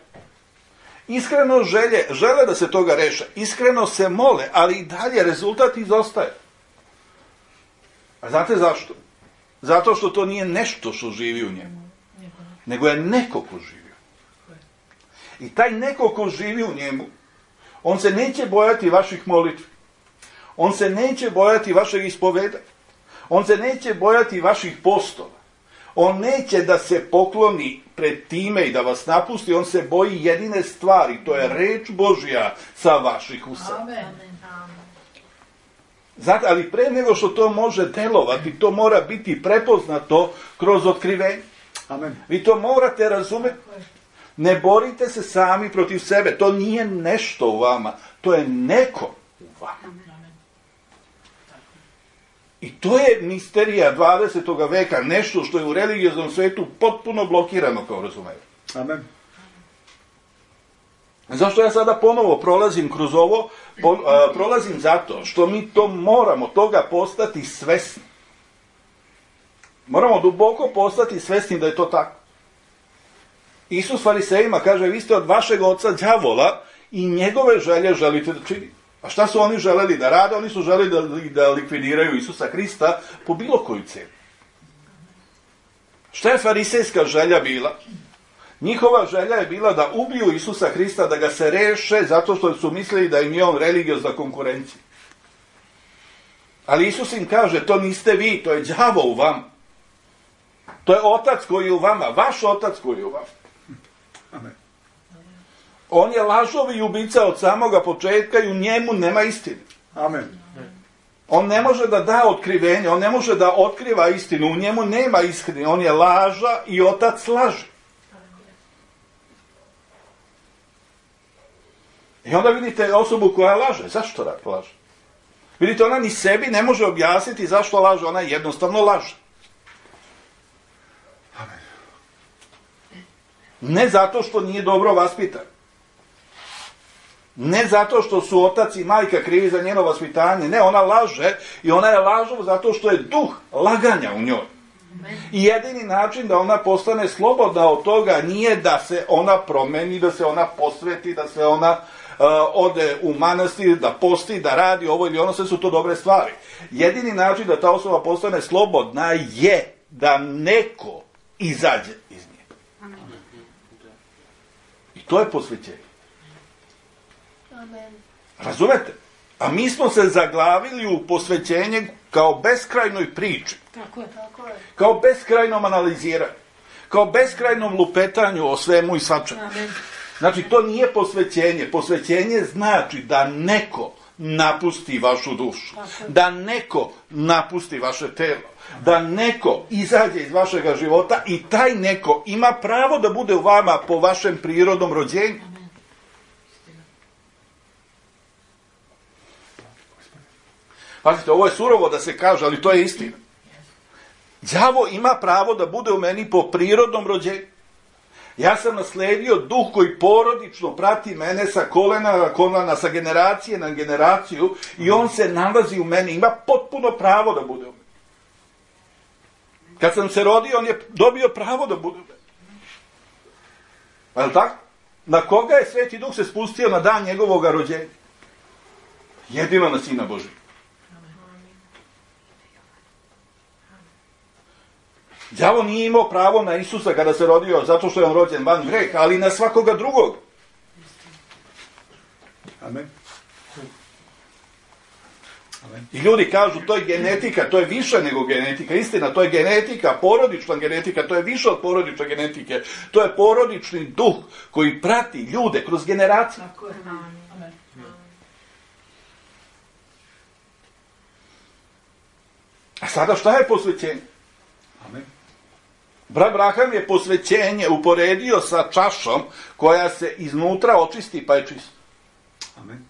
Iskreno želje, žele da se toga reše. Iskreno se mole, ali i dalje rezultat izostaje. A znate zašto? Zato što to nije nešto što živi u njemu. Nego je neko ko živi. I taj neko ko živi u njemu, on se neće bojati vaših molitvi. On se neće bojati vašeg ispoveda. On se neće bojati vaših postova. On neće da se pokloni pred time i da vas napusti, on se boji jedine stvari, to je reč Božja sa vaših usta. Amen. Znate, ali pre nego što to može delovati, to mora biti prepoznato kroz otkrivenje. Amen. Vi to morate razumjeti. Ne borite se sami protiv sebe, to nije nešto u vama, to je neko u vama. I to je misterija dvadesetog veka, nešto što je u religioznom svetu potpuno blokirano, kao razumijete. Amen. Zašto ja sada ponovo prolazim kroz ovo? Po, a, prolazim zato što mi to moramo toga postati svesni. Moramo duboko postati svesni da je to tako. Isus farisejima kaže, vi ste od vašeg oca đavola i njegove želje želite da činite. A šta su oni želeli da rade? Oni su želeli da, da likvidiraju Isusa Krista po bilo koju cijenu. Šta je farisejska želja bila? Njihova želja je bila da ubiju Isusa Krista, da ga se reše zato što su mislili da im je on religiozna konkurencija. Ali Isus im kaže, to niste vi, to je đavo u vama. To je otac koji je u vama, vaš otac koji je u vama. Amen. On je lažovi i ubica od samoga početka i u njemu nema istine. Amen. On ne može da da otkrivenje, on ne može da otkriva istinu, u njemu nema istine, on je laža i otac laže. I onda vidite osobu koja laže. Zašto laže? Vidite, ona ni sebi ne može objasniti zašto laže, ona jednostavno laže. Amen. Ne zato što nije dobro vaspitan. Ne zato što su otac i majka krivi za njeno vaspitanje. Ne, ona laže i ona je lažov zato što je duh laganja u njoj. I jedini način da ona postane slobodna od toga nije da se ona promeni, da se ona posveti, da se ona uh, ode u manastir, da posti, da radi ovo ili ono, sve su to dobre stvari. Jedini način da ta osoba postane slobodna je da neko izađe iz nje. I to je posvećenje. Amen. Razumete? A mi smo se zaglavili u posvećenje kao beskrajnoj priči. Tako je, tako je. Kao beskrajnom analiziranju. Kao beskrajnom lupetanju o svemu i svačemu. Amen. Znači, to nije posvećenje. Posvećenje znači da neko napusti vašu dušu. Da neko napusti vaše telo. Da neko izađe iz vašega života i taj neko ima pravo da bude u vama po vašem prirodnom rođenju. Pazite, ovo je surovo da se kaže, ali to je istina. Đavo ima pravo da bude u meni po prirodnom rođenju. Ja sam nasledio duh koji porodično prati mene sa kolena na kolena, sa generacije na generaciju i on se nalazi u meni. Ima potpuno pravo da bude u meni. Kad sam se rodio, on je dobio pravo da bude u meni. Je li tako? Na koga je Sveti Duh se spustio na dan njegovog rođenja? Jedino na Sina Božijeg. Đavo nije imao pravo na Isusa kada se rodio, zato što je on rođen van greha, ali na svakoga drugog. Amen. Amen. I ljudi kažu, to je genetika, to je više nego genetika. Istina, to je genetika, porodična genetika, to je više od porodične genetike. To je porodični duh koji prati ljude kroz generacije. Tako je. Amen. A sada šta je posvećenje? Amen. Brat Braham je posvećenje uporedio sa čašom koja se iznutra očisti pa je čista. Amen.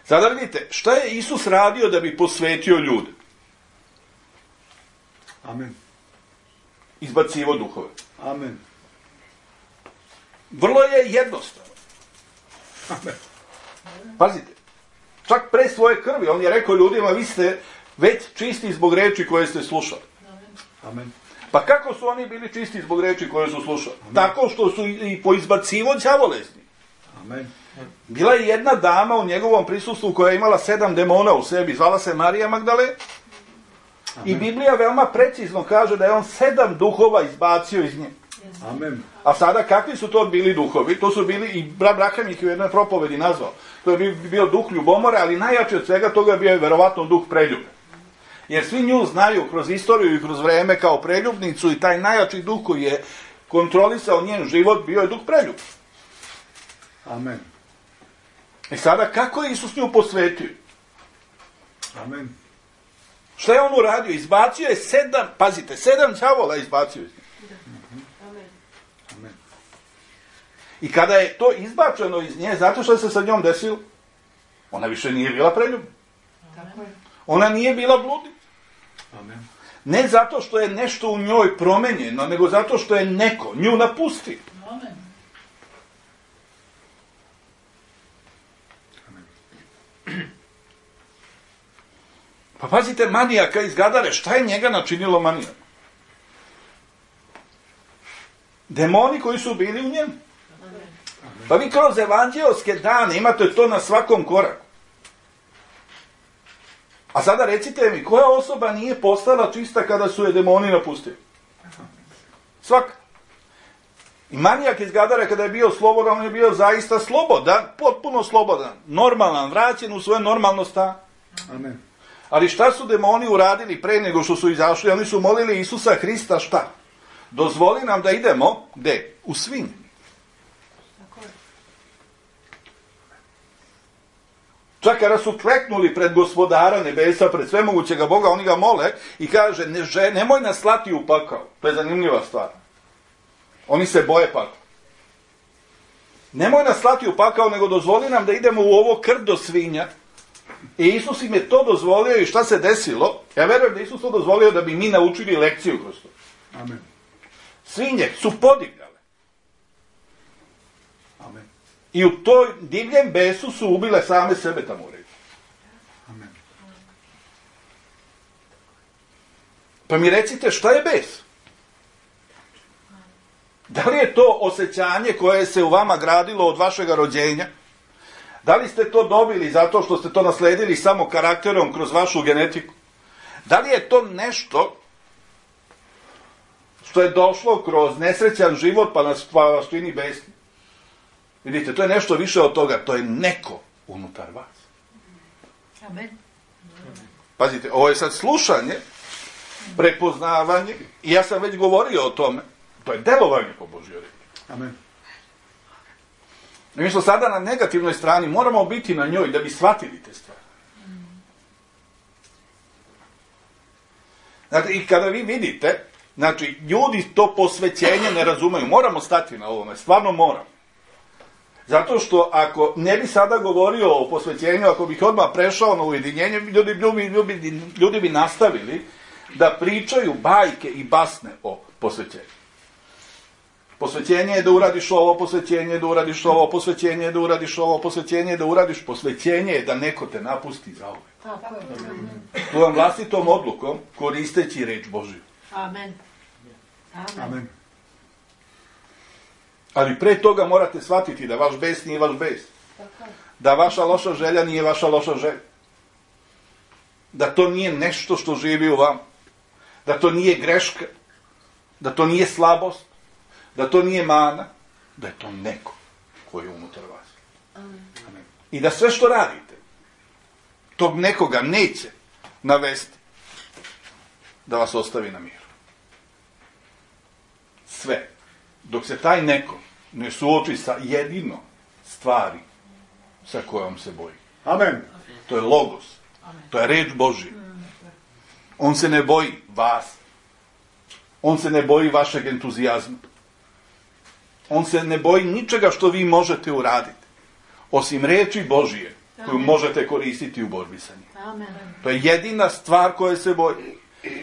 Sada vidite, šta je Isus radio da bi posvetio ljude? Amen. Izbacivo duhove. Amen. Vrlo je jednostavno. Amen. Pazite, čak pre svoje krvi, on je rekao ljudima, vi ste već čisti zbog reči koje ste slušali. Amen. Pa kako su oni bili čisti zbog reči koje su slušali? Tako što su i poizbacivo đavolezni. Amen. Bila je jedna dama u njegovom prisustvu koja je imala sedam demona u sebi, zvala se Marija Magdale. I Biblija veoma precizno kaže da je on sedam duhova izbacio iz nje. Amen. A sada kakvi su to bili duhovi? To su bili, i brat Braham ih u jednoj propovedi nazvao. To je bio duh ljubomore, ali najjači od svega toga bio je verovatno duh preljube. Jer svi nju znaju kroz istoriju i kroz vreme kao preljubnicu i taj najjači duh koji je kontrolisao njen život bio je duh preljub. Amen. I sada kako je Isus nju posvetio? Amen. Šta je on uradio? Izbacio je sedam, pazite, sedam đavola izbacio je. Amen. I kada je to izbačeno iz nje, zato što se sa njom desilo, ona više nije bila preljubna. Ona nije bila bludnica. Amen. Ne zato što je nešto u njoj promenjeno, nego zato što je neko nju napustio. Amen. Pa pazite, manijaka iz Gadare, šta je njega načinilo manijak? Demoni koji su bili u njemu. Pa vi kroz evanđeoske dane imate to na svakom koraku. A sada recite mi, koja osoba nije postala čista kada su je demoni napustili? Svaka. I manijak iz Gadare kada je bio slobodan, on je bio zaista slobodan, potpuno slobodan, normalan, vraćen u svoje normalno stanje. Amen. Ali šta su demoni uradili pre nego što su izašli? Oni su molili Isusa Hrista šta? Dozvoli nam da idemo, gde? U svinje. Čak kada su kleknuli pred gospodara nebesa, pred svemogućega Boga, oni ga mole i kaže, ne, že, nemoj nas slati u pakao. To je zanimljiva stvar. Oni se boje pakao. Nemoj nas slati u pakao, nego dozvoli nam da idemo u ovo krdo svinja. I Isus im je to dozvolio i šta se desilo? Ja verujem da Isus to dozvolio da bi mi naučili lekciju kroz to. Amen. Svinje su podigale. Amen. I u toj divljem besu su ubile same sebe tamo u redu. Amen. Pa mi recite, šta je bes? Da li je to osjećanje koje se u vama gradilo od vašega rođenja? Da li ste to dobili zato što ste to nasledili samo karakterom kroz vašu genetiku? Da li je to nešto što je došlo kroz nesrećan život pa nas pa vas čini besni? Vidite, to je nešto više od toga. To je neko unutar vas. Amen. Pazite, ovo je sad slušanje, prepoznavanje, i ja sam već govorio o tome. To je delovanje po Božjoj reči. Amen. Mi smo sada na negativnoj strani, moramo biti na njoj da bi shvatili te stvari. Znači, i kada vi vidite, znači, ljudi to posvećenje ne razumeju, moramo stati na ovome, stvarno moramo. Zato što ako ne bi sada govorio o posvećenju, ako bih odmah prešao na ujedinjenje, ljudi, ljudi, ljudi, ljudi bi nastavili da pričaju bajke i basne o posvećenju. Posvećenje je da uradiš ovo, posvećenje je da uradiš ovo, posvećenje je da uradiš ovo, posvećenje je da uradiš, posvećenje je da neko te napusti za ovo. Tako je. Tvojom vlastitom odlukom, koristeći reč Božiju. Amen. Amen. Amen. Ali pre toga morate shvatiti da vaš bes nije vaš bes. Da vaša loša želja nije vaša loša želja. Da to nije nešto što živi u vam. Da to nije greška. Da to nije slabost. Da to nije mana. Da je to neko koji je unutar vas. Amen. I da sve što radite, tog nekoga neće navesti da vas ostavi na miru. Sve. Dok se taj neko ne suoči sa jedino stvari sa kojom se boji. Amen. To je logos. To je reč Božija. On se ne boji vas. On se ne boji vašeg entuzijazma. On se ne boji ničega što vi možete uraditi. Osim reči Božije koju možete koristiti u borbi sa njim. Amen. To je jedina stvar koje se boji.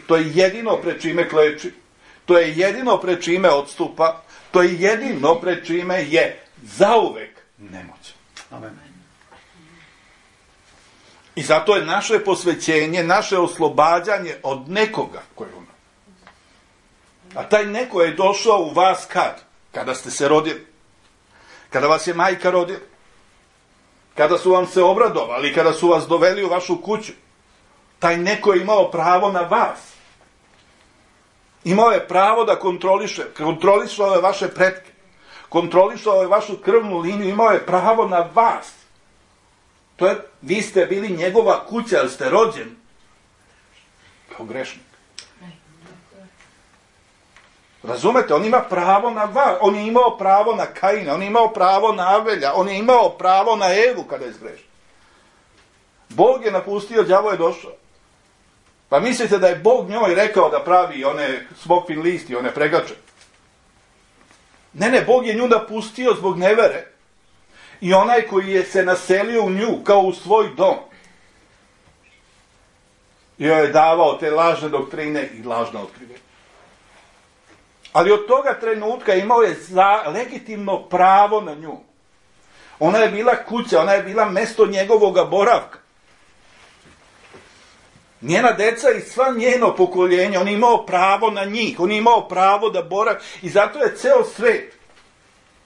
To je jedino pred čime kleči. To je jedino pred čime odstupa. To je jedino pred čime je zauvek nemoćan. Amen. I zato je naše posvećenje, naše oslobađanje od nekoga koji je u nas. A taj neko je došao u vas kad? Kada ste se rodili. Kada vas je majka rodila. Kada su vam se obradovali, kada su vas doveli u vašu kuću. Taj neko je imao pravo na vas. Imao je pravo da kontroliše, kontrolišao je vaše pretke, kontrolišao je vašu krvnu liniju, imao je pravo na vas. To je, vi ste bili njegova kuća, ali ste rođeni. kao grešnik. Razumete, on ima pravo na vas, on je imao pravo na Kaina, on je imao pravo na Avelja, on je imao pravo na Evu kada je zgrešio. Bog je napustio, đavo je došao. Pa mislite da je Bog njoj rekao da pravi one smokvin listi, one pregače? Ne, ne, Bog je nju napustio zbog nevere. I onaj koji je se naselio u nju kao u svoj dom. I joj je davao te lažne doktrine i lažna otkrivenja. Ali od toga trenutka imao je za legitimno pravo na nju. Ona je bila kuća, ona je bila mesto njegovoga boravka. Njena deca i sva njeno pokoljenje, on je imao pravo na njih, on je imao pravo da boravi i zato je ceo svet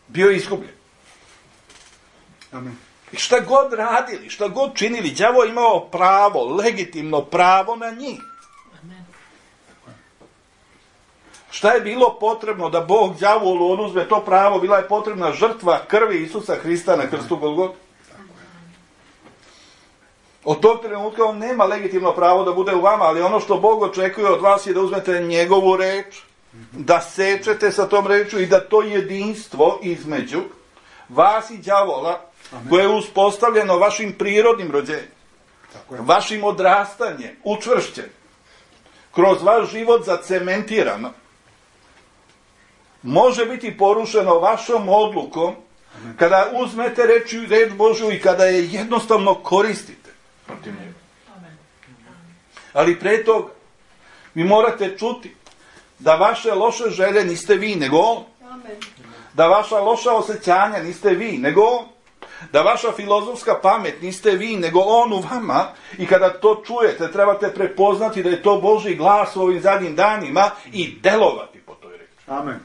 bio izgubljen. Amen. I šta god radili, šta god činili, đavo je imao pravo, legitimno pravo na njih. Amen. Šta je bilo potrebno da Bog đavolu oduzme to pravo? Bila je potrebna žrtva krvi Isusa Hrista na krstu Golgote. Od tog trenutka on nema legitimno pravo da bude u vama, ali ono što Bog očekuje od vas je da uzmete njegovu reč, da sečete sa tom reču i da to jedinstvo između vas i đavola, koje je uspostavljeno vašim prirodnim rođenjem, vašim odrastanjem, učvršćen, kroz vaš život zacementirano, može biti porušeno vašom odlukom kada uzmete reč, reč Božju i kada je jednostavno koristite protiv njega. Ali pre toga vi morate čuti da vaše loše želje niste vi, nego on. Da vaša loša osjećanja niste vi, nego on. Da vaša filozofska pamet niste vi, nego on u vama. I kada to čujete, trebate prepoznati da je to Božji glas u ovim zadnjim danima i delovati po toj reči. Amen.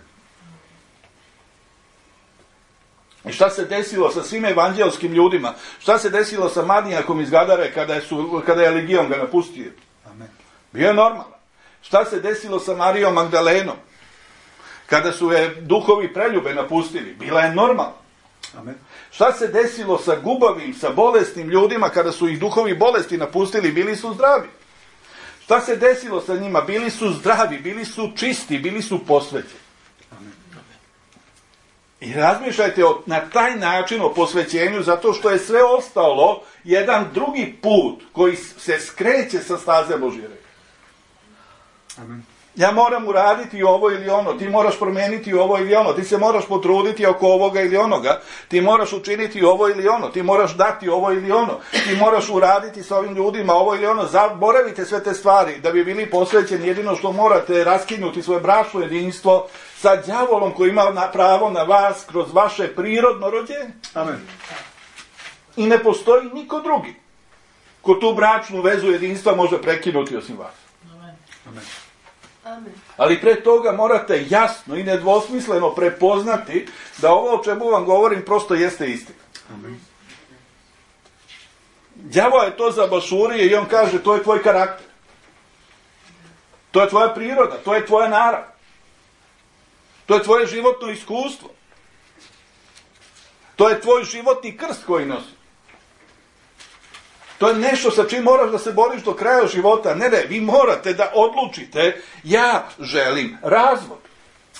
I šta se desilo sa svim evanđelskim ljudima? Šta se desilo sa Madijakom iz Gadare kada je, su, kada je legion ga napustio? Amen. Bio je normalan. Šta se desilo sa Marijom Magdalenom? Kada su je duhovi preljube napustili? Bila je normalna. Amen. Šta se desilo sa gubavim, sa bolesnim ljudima kada su ih duhovi bolesti napustili? Bili su zdravi. Šta se desilo sa njima? Bili su zdravi, bili su čisti, bili su posvećeni. I razmišljajte o, na taj način o posvećenju, zato što je sve ostalo jedan drugi put koji se skreće sa staze Božje reči. Amen. Ja moram uraditi ovo ili ono, ti moraš promijeniti ovo ili ono, ti se moraš potruditi oko ovoga ili onoga, ti moraš učiniti ovo ili ono, ti moraš dati ovo ili ono, ti moraš uraditi sa ovim ljudima ovo ili ono. Zaboravite sve te stvari da bi bili posvećeni. Jedino što morate raskinuti svoje bračno jedinstvo sa đavolom koji ima na pravo na vas kroz vaše prirodno rođenje. Amen. I ne postoji niko drugi ko tu bračnu vezu jedinstva može prekinuti osim vas. Amen. Amen. Amen. Ali pre toga morate jasno i nedvosmisleno prepoznati da ovo o čemu vam govorim prosto jeste istina. Amen. Đavo je to zabašurio i on kaže to je tvoj karakter. To je tvoja priroda, to je tvoja narav. To je tvoje životno iskustvo. To je tvoj životni krst koji nosi. To je nešto sa čim moraš da se boriš do kraja života. Ne, ne, vi morate da odlučite, ja želim razvod.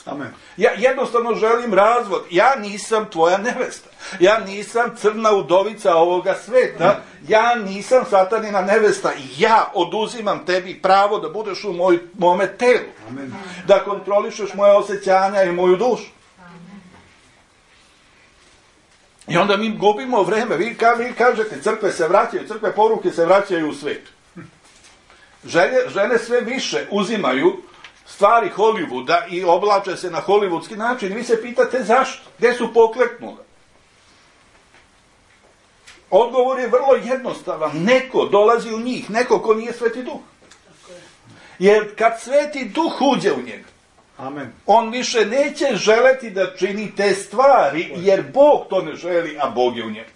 Amen. Ja jednostavno želim razvod. Ja nisam tvoja nevesta. Ja nisam crna udovica ovoga sveta. Ja nisam satanina nevesta. Ja oduzimam tebi pravo da budeš u moj, mome telu. Amen. Da kontrolišeš moje osjećanja i moju dušu. I onda mi gubimo vreme. Vi, ka, vi kažete, crkve se vraćaju, crkve poruke se vraćaju u svet. Žene, žene sve više uzimaju stvari Hollywooda i oblače se na hollywoodski način. I vi se pitate zašto? Gde su pokleknule? Odgovor je vrlo jednostavan. Neko dolazi u njih, neko ko nije Sveti Duh. Jer kad Sveti Duh uđe u njega, Amen. on više neće želeti da čini te stvari, jer Bog to ne želi, a Bog je u njemu.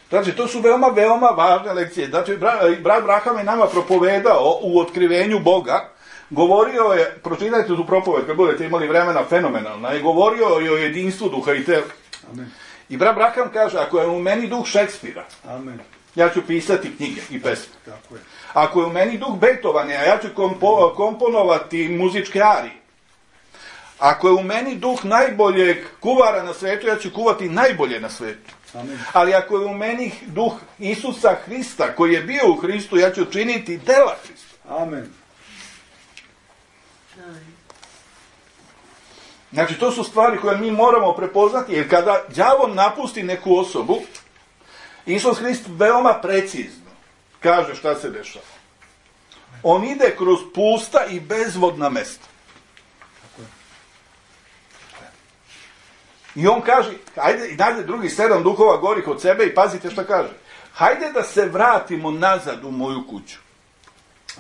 Znači, to su veoma, veoma važne lekcije. Znači, brat Braham je nama propovedao u otkrivenju Boga, govorio je, pročitajte tu propoved, kad budete imali vremena, fenomenalna, je govorio je o jedinstvu duha i tela. Amen. I brat Braham kaže, ako je u meni duh Šekspira, Amen. ja ću pisati knjige i pesme. Tako je. Ako je u meni duh Beethovena, ja ću kompo, komponovati muzičke arije. Ako je u meni duh najboljeg kuvara na svetu, ja ću kuvati najbolje na svetu. Amen. Ali ako je u meni duh Isusa Hrista, koji je bio u Hristu, ja ću činiti dela Hrista. Amen. Znači, to su stvari koje mi moramo prepoznati, jer kada đavo napusti neku osobu, Isus Hrist veoma precizno kaže šta se dešava. On ide kroz pusta i bezvodna mesta. I on kaže, hajde, i najde drugi sedam duhova gorih od sebe i pazite šta kaže. Hajde da se vratimo nazad u moju kuću.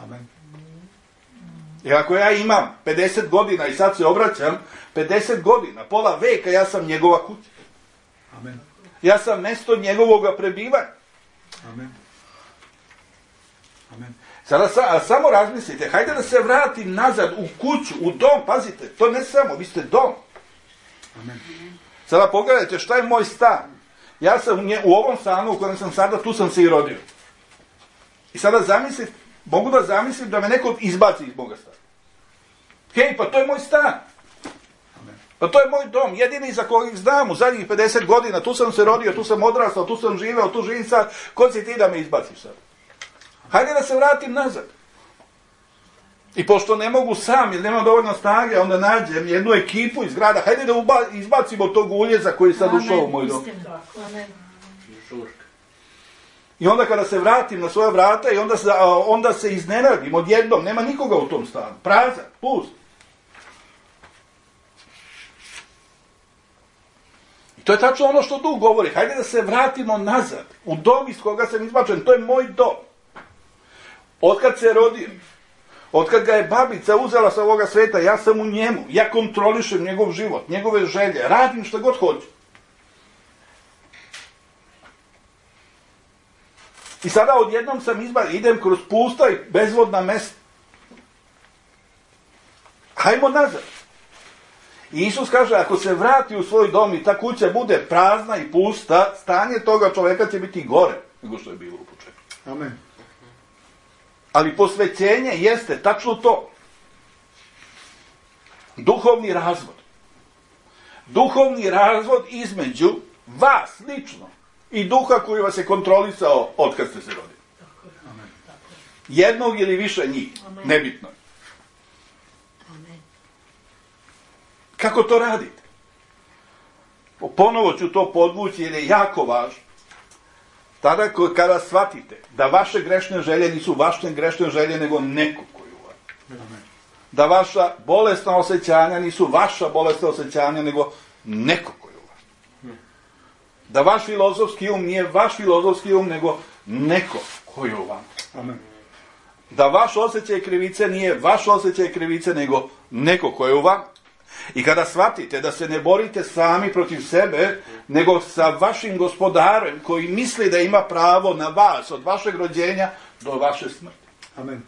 Amen. I ako ja imam pedeset godina i sad se obraćam, pedeset godina, pola veka, ja sam njegova kuća. Amen. Ja sam mjesto njegovoga prebivanja. Amen. Amen. Sada sa, samo razmislite, hajde da se vratim nazad u kuću, u dom, pazite, to ne samo, vi ste dom. Amen. Sada pogledajte šta je moj stan. Ja sam u, nje, u ovom stanu u kojem sam sada, tu sam se i rodio. I sada zamislite, mogu da zamislim da me neko izbaci iz moga stana. Hej, pa to je moj stan. Pa to je moj dom, jedini za kojeg znam u zadnjih pedeset godina, tu sam se rodio, tu sam odrastao, tu sam živeo, tu živim sad, ko si ti da me izbaciš sad? Hajde da se vratim nazad. I pošto ne mogu sam, jer nemam dovoljno snage, onda nađem jednu ekipu iz grada, hajde da uba, izbacimo tog uljeza koji je sad ušao u moj dom. Amen. I onda kada se vratim na svoja vrata i onda se, onda se iznenadim odjednom, nema nikoga u tom stanu, prazan, pust. To je tačno ono što Duh govori. Hajde da se vratimo nazad. U dom iz koga sam izbačen. To je moj dom. Otkad se rodio, otkad ga je babica uzela sa ovoga sveta, ja sam u njemu. Ja kontrolišem njegov život, njegove želje. Radim što god hoću. I sada odjednom sam izbačen. Idem kroz pusta i bezvodna mesta. Hajmo nazad. I Isus kaže, ako se vrati u svoj dom i ta kuća bude prazna i pusta, stanje toga čoveka će biti gore nego što je bilo u početku. Amen. Ali posvećenje jeste tačno to. Duhovni razvod. Duhovni razvod između vas lično i duha koji vas je kontrolisao od kad ste se rodili. Amen. Jednog ili više njih. Amen. Nebitno. Amen. Kako to radite? Ponovo ću to podvući jer je jako važno. Tada kada shvatite da vaše grešne želje nisu vaše grešne želje, nego neko koji u vas. Da vaša bolesna osjećanja nisu vaša bolesna osjećanja, nego neko koji u vas. Da vaš filozofski um nije vaš filozofski um, nego neko koji u vam. Amen. Da vaš osjećaj krivice nije vaš osjećaj krivice, nego neko koji u vam. I kada shvatite da se ne borite sami protiv sebe, nego sa vašim gospodarem koji misli da ima pravo na vas od vašeg rođenja do vaše smrti. Amen.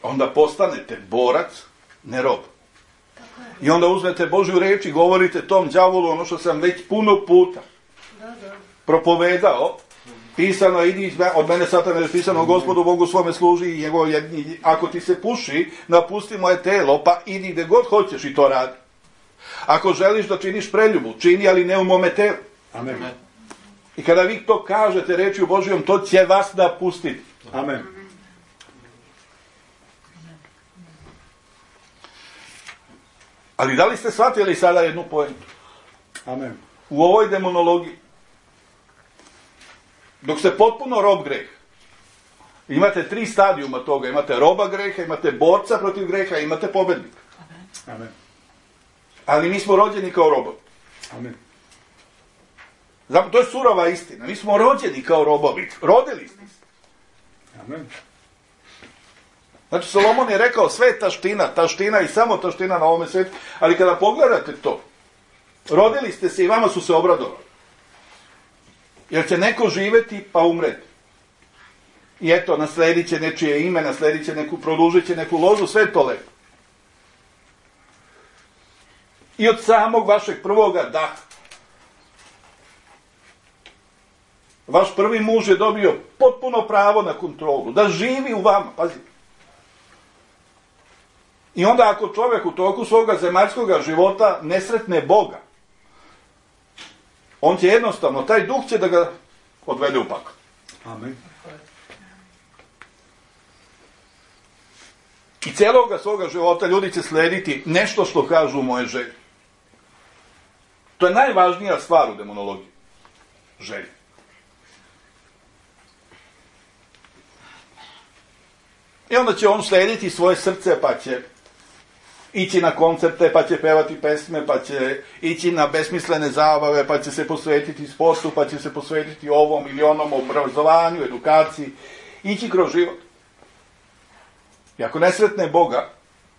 Onda postanete borac, ne rob. I onda uzmete Božju reč i govorite tom đavolu ono što sam već puno puta propovedao. Pisano je, idi od mene satane, je pisano, Gospodu Bogu svome služi i njegov jedni, ako ti se puši, napusti moje telo, pa idi gde god hoćeš i to radi. Ako želiš da činiš preljubu, čini, ali ne u mome telu. Amen. I kada vi to kažete rečju Božijom, to će vas napustiti. Amen. Ali da li ste shvatili sada jednu pojentu? Amen. U ovoj demonologiji, dok ste potpuno rob greha, imate tri stadijuma toga. Imate roba greha, imate borca protiv greha, imate pobednika. Amen. Ali mi smo rođeni kao robovi. Amen. Zato, to je surova istina. Mi smo rođeni kao robovi. Rodili ste se. Amen. Znači, Solomon je rekao sve je taština, taština i samo taština na ovome svijetu. Ali kada pogledate to, rodili ste se i vama su se obradovali. Jer će neko živjeti pa umreti. I eto, nasledit će nečije ime, nasledit će neku, produžit će neku lozu, sve to lepo. I od samog vašeg prvoga daha. Vaš prvi muž je dobio potpuno pravo na kontrolu, da živi u vama, pazite. I onda ako čovjek u toku svoga zemaljskog života ne sretne Boga, on će jednostavno, taj duh će da ga odvede u pakao. Amen. I cijeloga svoga života ljudi će slediti nešto što kažu moje želje. To je najvažnija stvar u demonologiji. Želje. I onda će on slediti svoje srce, pa će ići na koncerte, pa će pevati pesme, pa će ići na besmislene zabave, pa će se posvetiti sportu, pa će se posvetiti ovom ili onom obrazovanju, edukaciji, ići kroz život. I ako ne sretne Boga,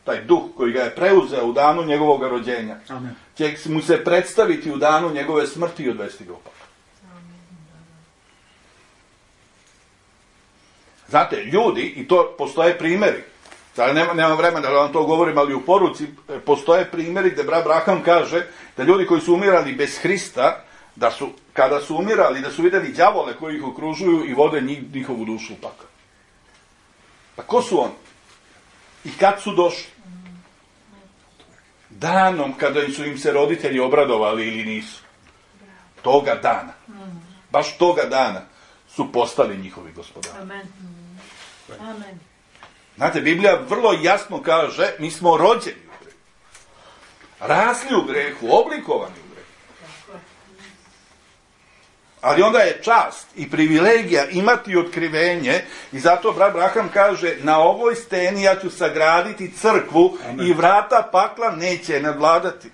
taj duh koji ga je preuzeo u danu njegovog rođenja, Amen. će mu se predstaviti u danu njegove smrti i odvesti ga u pakao. Znate, ljudi, i to postoje primjeri, sada nema, nema vremena da vam to govorim, ali u poruci postoje primjeri gdje brat Braham kaže da ljudi koji su umirali bez Hrista, da su, kada su umirali, da su vidjeli đavole koji ih okružuju i vode njih, njihovu dušu u pakao. Pa ko su oni? I kad su došli? Danom kada su im se roditelji obradovali ili nisu. Toga dana. Baš toga dana su postali njihovi gospodari. Amen. Amen. Znate, Biblija vrlo jasno kaže, mi smo rođeni u grehu. Rasli u grehu, oblikovani u grehu. Ali onda je čast i privilegija imati otkrivenje i zato brat Braham kaže, na ovoj steni ja ću sagraditi crkvu. Amen. I vrata pakla neće nadvladati.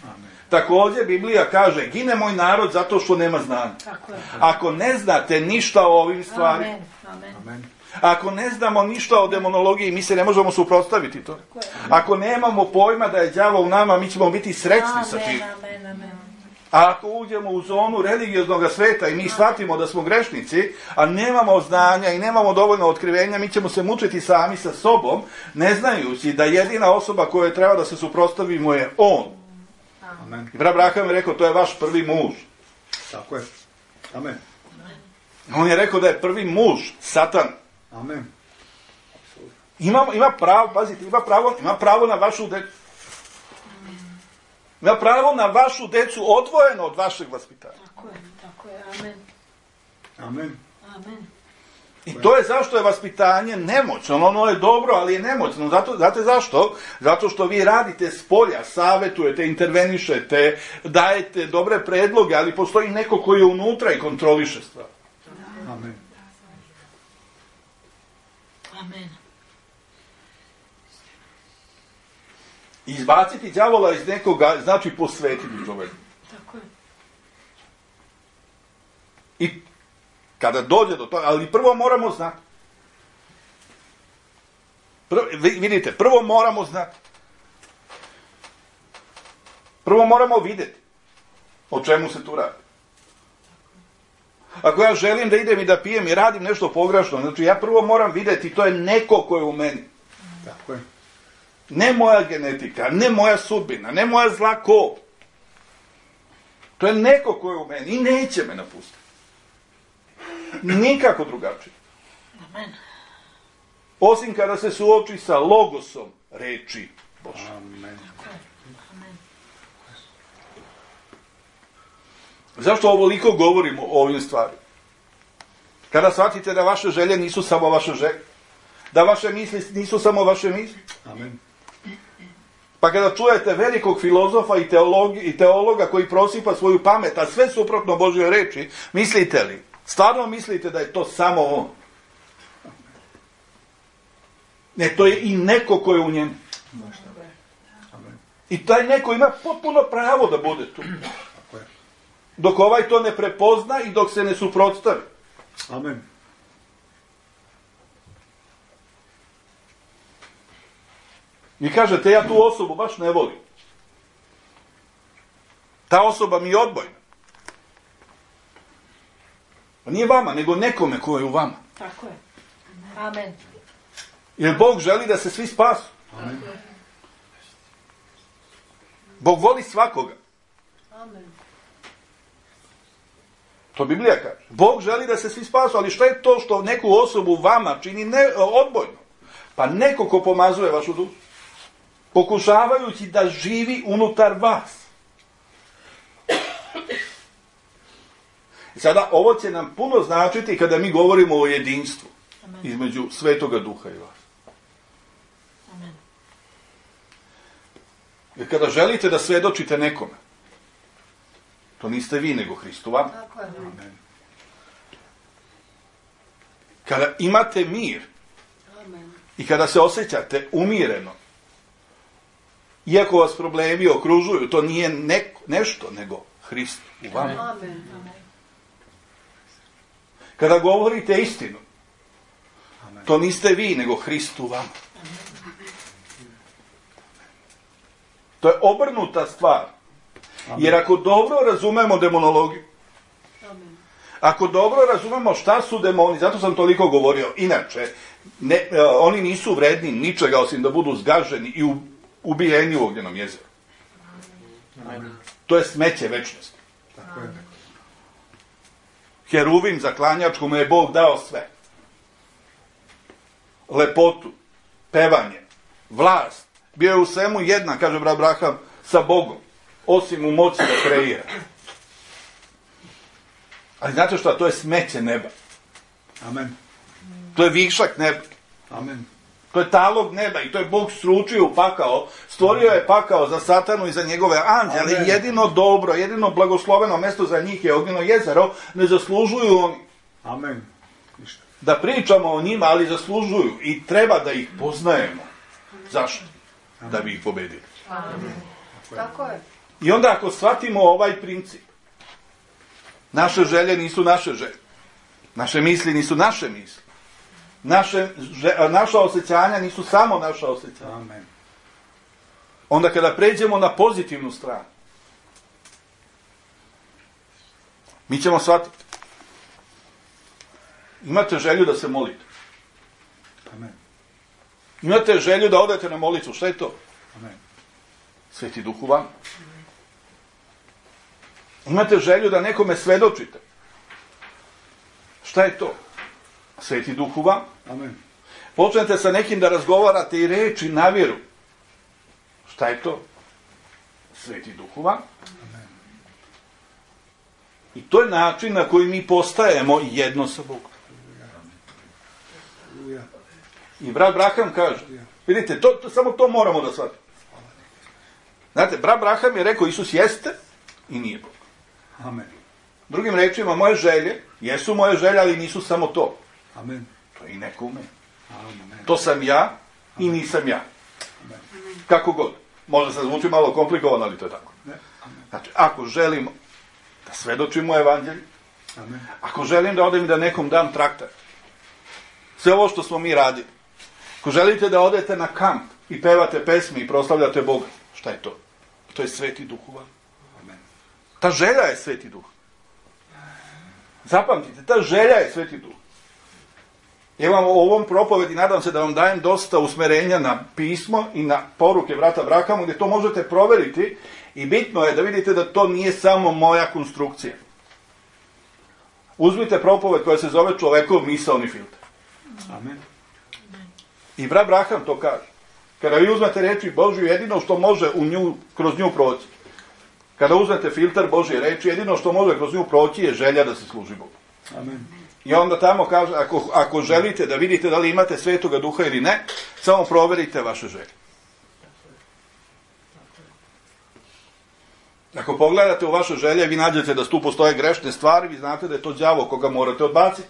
Amen. Također Biblija kaže, gine moj narod zato što nema znanja. Ako ne znate ništa o ovim stvarima, Amen. Amen. Amen. ako ne znamo ništa o demonologiji, mi se ne možemo suprotstaviti to. Ako nemamo pojma da je đavo u nama, mi ćemo biti srećni sa tim. Amen. Amen. A ako uđemo u zonu religioznog sveta i mi shvatimo da smo grešnici, a nemamo znanja i nemamo dovoljno otkrivenja, mi ćemo se mučiti sami sa sobom, ne znajući da jedina osoba koja treba da se suprotstavimo je on. Amen. I brat Braham je rekao, to je vaš prvi muž. Tako je. Amen. On je rekao da je prvi muž Satan. Amen. Ima, ima pravo, pazite, ima pravo, ima pravo na vašu decu. Ima pravo na vašu decu odvojeno od vašeg vaspitanja. Tako je, tako je. Amen. Amen. Amen. I to je zašto je vaspitanje nemoćno. Ono je dobro, ali je nemoćno. Zato, znate zašto? Zato što vi radite s polja, savjetujete, intervenišete, dajete dobre predloge, ali postoji neko koji je unutra i kontroliše stvar. Amen. Amen. Izbaciti đavola iz nekoga znači posvetiti čovjeku. Tako je. I kada dođe do toga, ali prvo moramo znati. Prvo, vidite, prvo moramo znati. Prvo moramo vidjeti o čemu se tu radi. Ako ja želim da idem i da pijem i radim nešto pogrešno, znači ja prvo moram vidjeti, to je neko ko je u meni. Tako je. Ne moja genetika, ne moja sudbina, ne moja zla kol. To je neko ko je u meni i neće me napustiti. Nikako drugačije. Amen. Osim kada se suoči sa logosom reči Bože. Amen. Amen. Zašto ovoliko govorimo o ovim stvarima? Kada shvatite da vaše želje nisu samo vaše želje, da vaše misli nisu samo vaše misli. Amen. Pa kada čujete velikog filozofa i, teologi, i teologa koji prosipa svoju pamet, a sve suprotno Božjoj reči, mislite li? Stvarno mislite da je to samo on? Ne, to je i neko ko je u njemu. Amen. I taj neko ima potpuno pravo da bude tu. Tako je. Dok ovaj to ne prepozna i dok se ne suprotstavi. Amen. Vi kažete, ja tu osobu baš ne volim. Ta osoba mi je odbojna. Pa nije vama, nego nekome ko je u vama. Tako je. Amen. Jer Bog želi da se svi spasu. Amen. Bog voli svakoga. Amen. To Biblija kaže. Bog želi da se svi spasu, ali šta je to što neku osobu vama čini ne, odbojno? Pa neko ko pomazuje vašu dušu, pokušavajući da živi unutar vas. I sada ovo će nam puno značiti kada mi govorimo o jedinstvu između Svetoga Duha i vas. Amen. Jer kada želite da svedočite nekome, to niste vi, nego Hristu vam. Amen. Kada imate mir Amen. i kada se osjećate umireno, iako vas problemi okružuju, to nije neko, nešto, nego Hrist u vama. Amen. Kada govorite istinu, Amen. to niste vi, nego Hrist u vama. To je obrnuta stvar. Amen. Jer ako dobro razumemo demonologiju, Amen. ako dobro razumemo šta su demoni, zato sam toliko govorio, inače, ne, e, oni nisu vredni ničega osim da budu zgaženi i u, ubijeni u ognjenom jezeru. Amen. To je smeće večnosti. Tako je. Heruvim zaklanjačku mu je Bog dao sve. Lepotu, pevanje, vlast. Bio je u svemu jednak, kaže brat Abraham, sa Bogom. Osim u moći da kreira. Ali znate šta? To je smeće neba. Amen. To je višak neba. Amen. To je talog neba i to je Bog sručio u pakao. Stvorio je pakao za Satanu i za njegove anđele. Amen. Jedino dobro, jedino blagosloveno mesto za njih je ognjeno jezero. Ne zaslužuju oni Amen. Ništa. da pričamo o njima, ali zaslužuju i treba da ih poznajemo. Zašto? Da bi ih pobedili. Amen. Tako je. I onda ako shvatimo ovaj princip, naše želje nisu naše želje. Naše misli nisu naše misli. Naše, že, naša osjećanja nisu samo naša osjećanja. Amen. Onda kada pređemo na pozitivnu stranu, mi ćemo shvatiti. Imate želju da se molite. Amen. Imate želju da odete na molitvu. Šta je to? Amen. Sveti Duh u vama. Imate želju da nekome svedočite. Šta je to? Sveti Duh u vama. Amen. Počnete sa nekim da razgovarate i reči na vjeru. Šta je to? Sveti Duh u vama. I to je način na koji mi postajemo jedno sa Bogom. Aleluja. I brat Abraham kaže, vidite, to, to, samo to moramo da shvatimo. Znate, brat Abraham je rekao, Isus jeste i nije Bog. Amen. Drugim rečima, moje želje, jesu moje želje, ali nisu samo to. Amen. To je i neko u meni. Amen. To sam ja i nisam ja. Kako god. Možda se zvuči malo komplikovano, ali to je tako. Ne. Amen. Znači, ako želimo da svedočimo evanđelju, Amen. ako želim da odem i da nekom dam traktat, sve ovo što smo mi radili, ako želite da odete na kamp i pevate pesme i proslavljate Boga, šta je to? To je Sveti Duh u vama. Amen. Ta želja je Sveti Duh. Zapamtite, ta želja je Sveti Duh. Ja vam u ovom propovedi nadam se da vam dajem dosta usmerenja na pismo i na poruke brata Abrahamu, gdje to možete proveriti i bitno je da vidite da to nije samo moja konstrukcija. Uzmite propoved koja se zove Čovekov misaoni filter. Amen. I brat Abraham to kaže. Kada vi uzmete reči Božju, jedino što može u nju, kroz nju proći. Kada uzmete filter Božje reči, jedino što može kroz nju proći je želja da se služi Bogu. Amen. I onda tamo kaže, ako, ako želite da vidite da li imate Svetoga Duha ili ne, samo proverite vaše želje. Ako pogledate u vaše želje, vi nađete da tu postoje grešne stvari, vi znate da je to đavo koga morate odbaciti.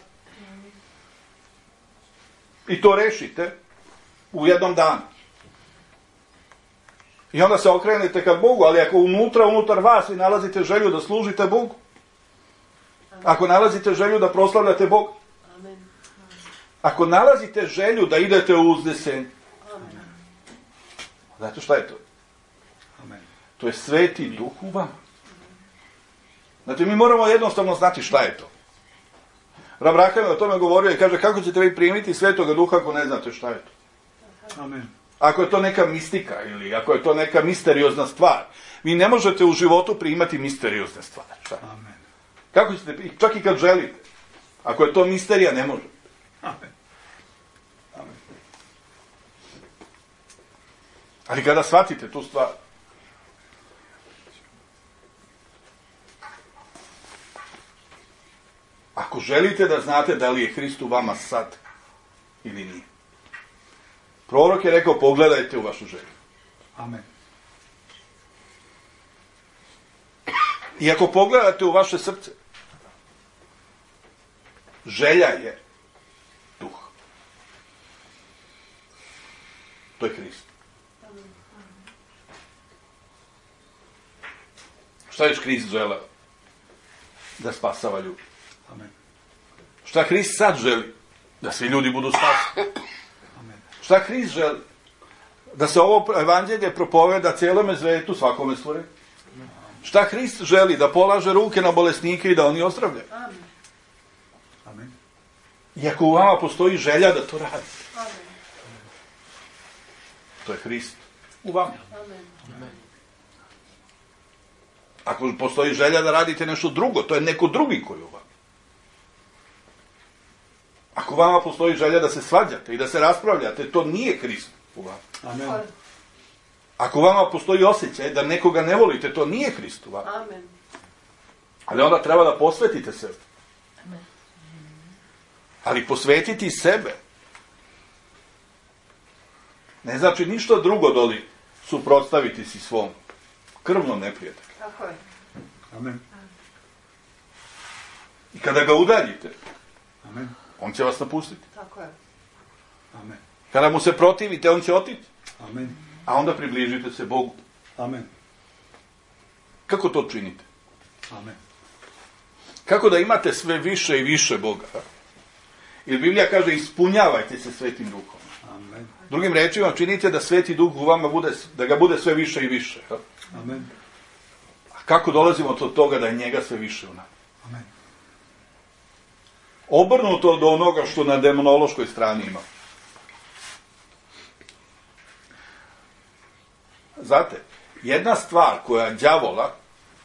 I to rešite u jednom danu. I onda se okrenete ka Bogu, ali ako unutra, unutar vas vi nalazite želju da služite Bogu, ako nalazite želju da proslavljate Boga, ako nalazite želju da idete u uznesenje, znate šta je to? Amen. To je Sveti Duh u vama. Znate, mi moramo jednostavno znati šta je to. Abraham je o tome govorio i kaže, kako ćete vi primiti Svetoga Duha ako ne znate šta je to? Amen. Ako je to neka mistika ili ako je to neka misteriozna stvar, vi ne možete u životu primati misteriozne stvari. Šta? Amen. Kako ćete, čak i kad želite. Ako je to misterija, ne može. Amen. Amen. Ali kada shvatite tu stvar, ako želite da znate da li je Hrist u vama sad ili nije. Prorok je rekao, pogledajte u vašu želju. Amen. I ako pogledate u vaše srce, želja je duh. To je Hrist. Šta je Hrist želeo? Da spasava ljudi. Amen. Šta Hrist sad želi? Da svi ljudi budu spaseni. Amen. Šta Hrist želi? Da se ovo evanđelje propoveda cijelome svetu, svakome stvorenju. Šta Hrist želi? Da polaže ruke na bolesnike i da oni ozdravljaju. Amen. Amen. I ako u vama postoji želja da to radi, Amen. to je Hrist u vama. Amen. Ako postoji želja da radite nešto drugo, to je neko drugi koji u vama. Ako u vama postoji želja da se svađate i da se raspravljate, to nije Hrist u vama. Amen. Ako u vama postoji osjećaj da nekoga ne volite, to nije Hrist u vama. Amen. Ali onda treba da posvetite sebe. Amen. Ali posvetiti sebe ne znači ništa drugo doli suprotstaviti si svom krvnom neprijatelju. Tako je. Amen. I kada ga udaljite, Amen. on će vas napustiti. Tako je. Amen. Kada mu se protivite, on će otići. Amen. A onda približite se Bogu. Amen. Kako to činite? Amen. Kako da imate sve više i više Boga? Jer Biblija kaže, ispunjavajte se Svetim Duhom. Amen. Drugim rečima, činite da Sveti Duh u vama bude, da ga bude sve više i više. Amen. A kako dolazimo do toga da je njega sve više u nama? Amen. Obrnuto od onoga što na demonološkoj strani ima. Znate, jedna stvar koja đavola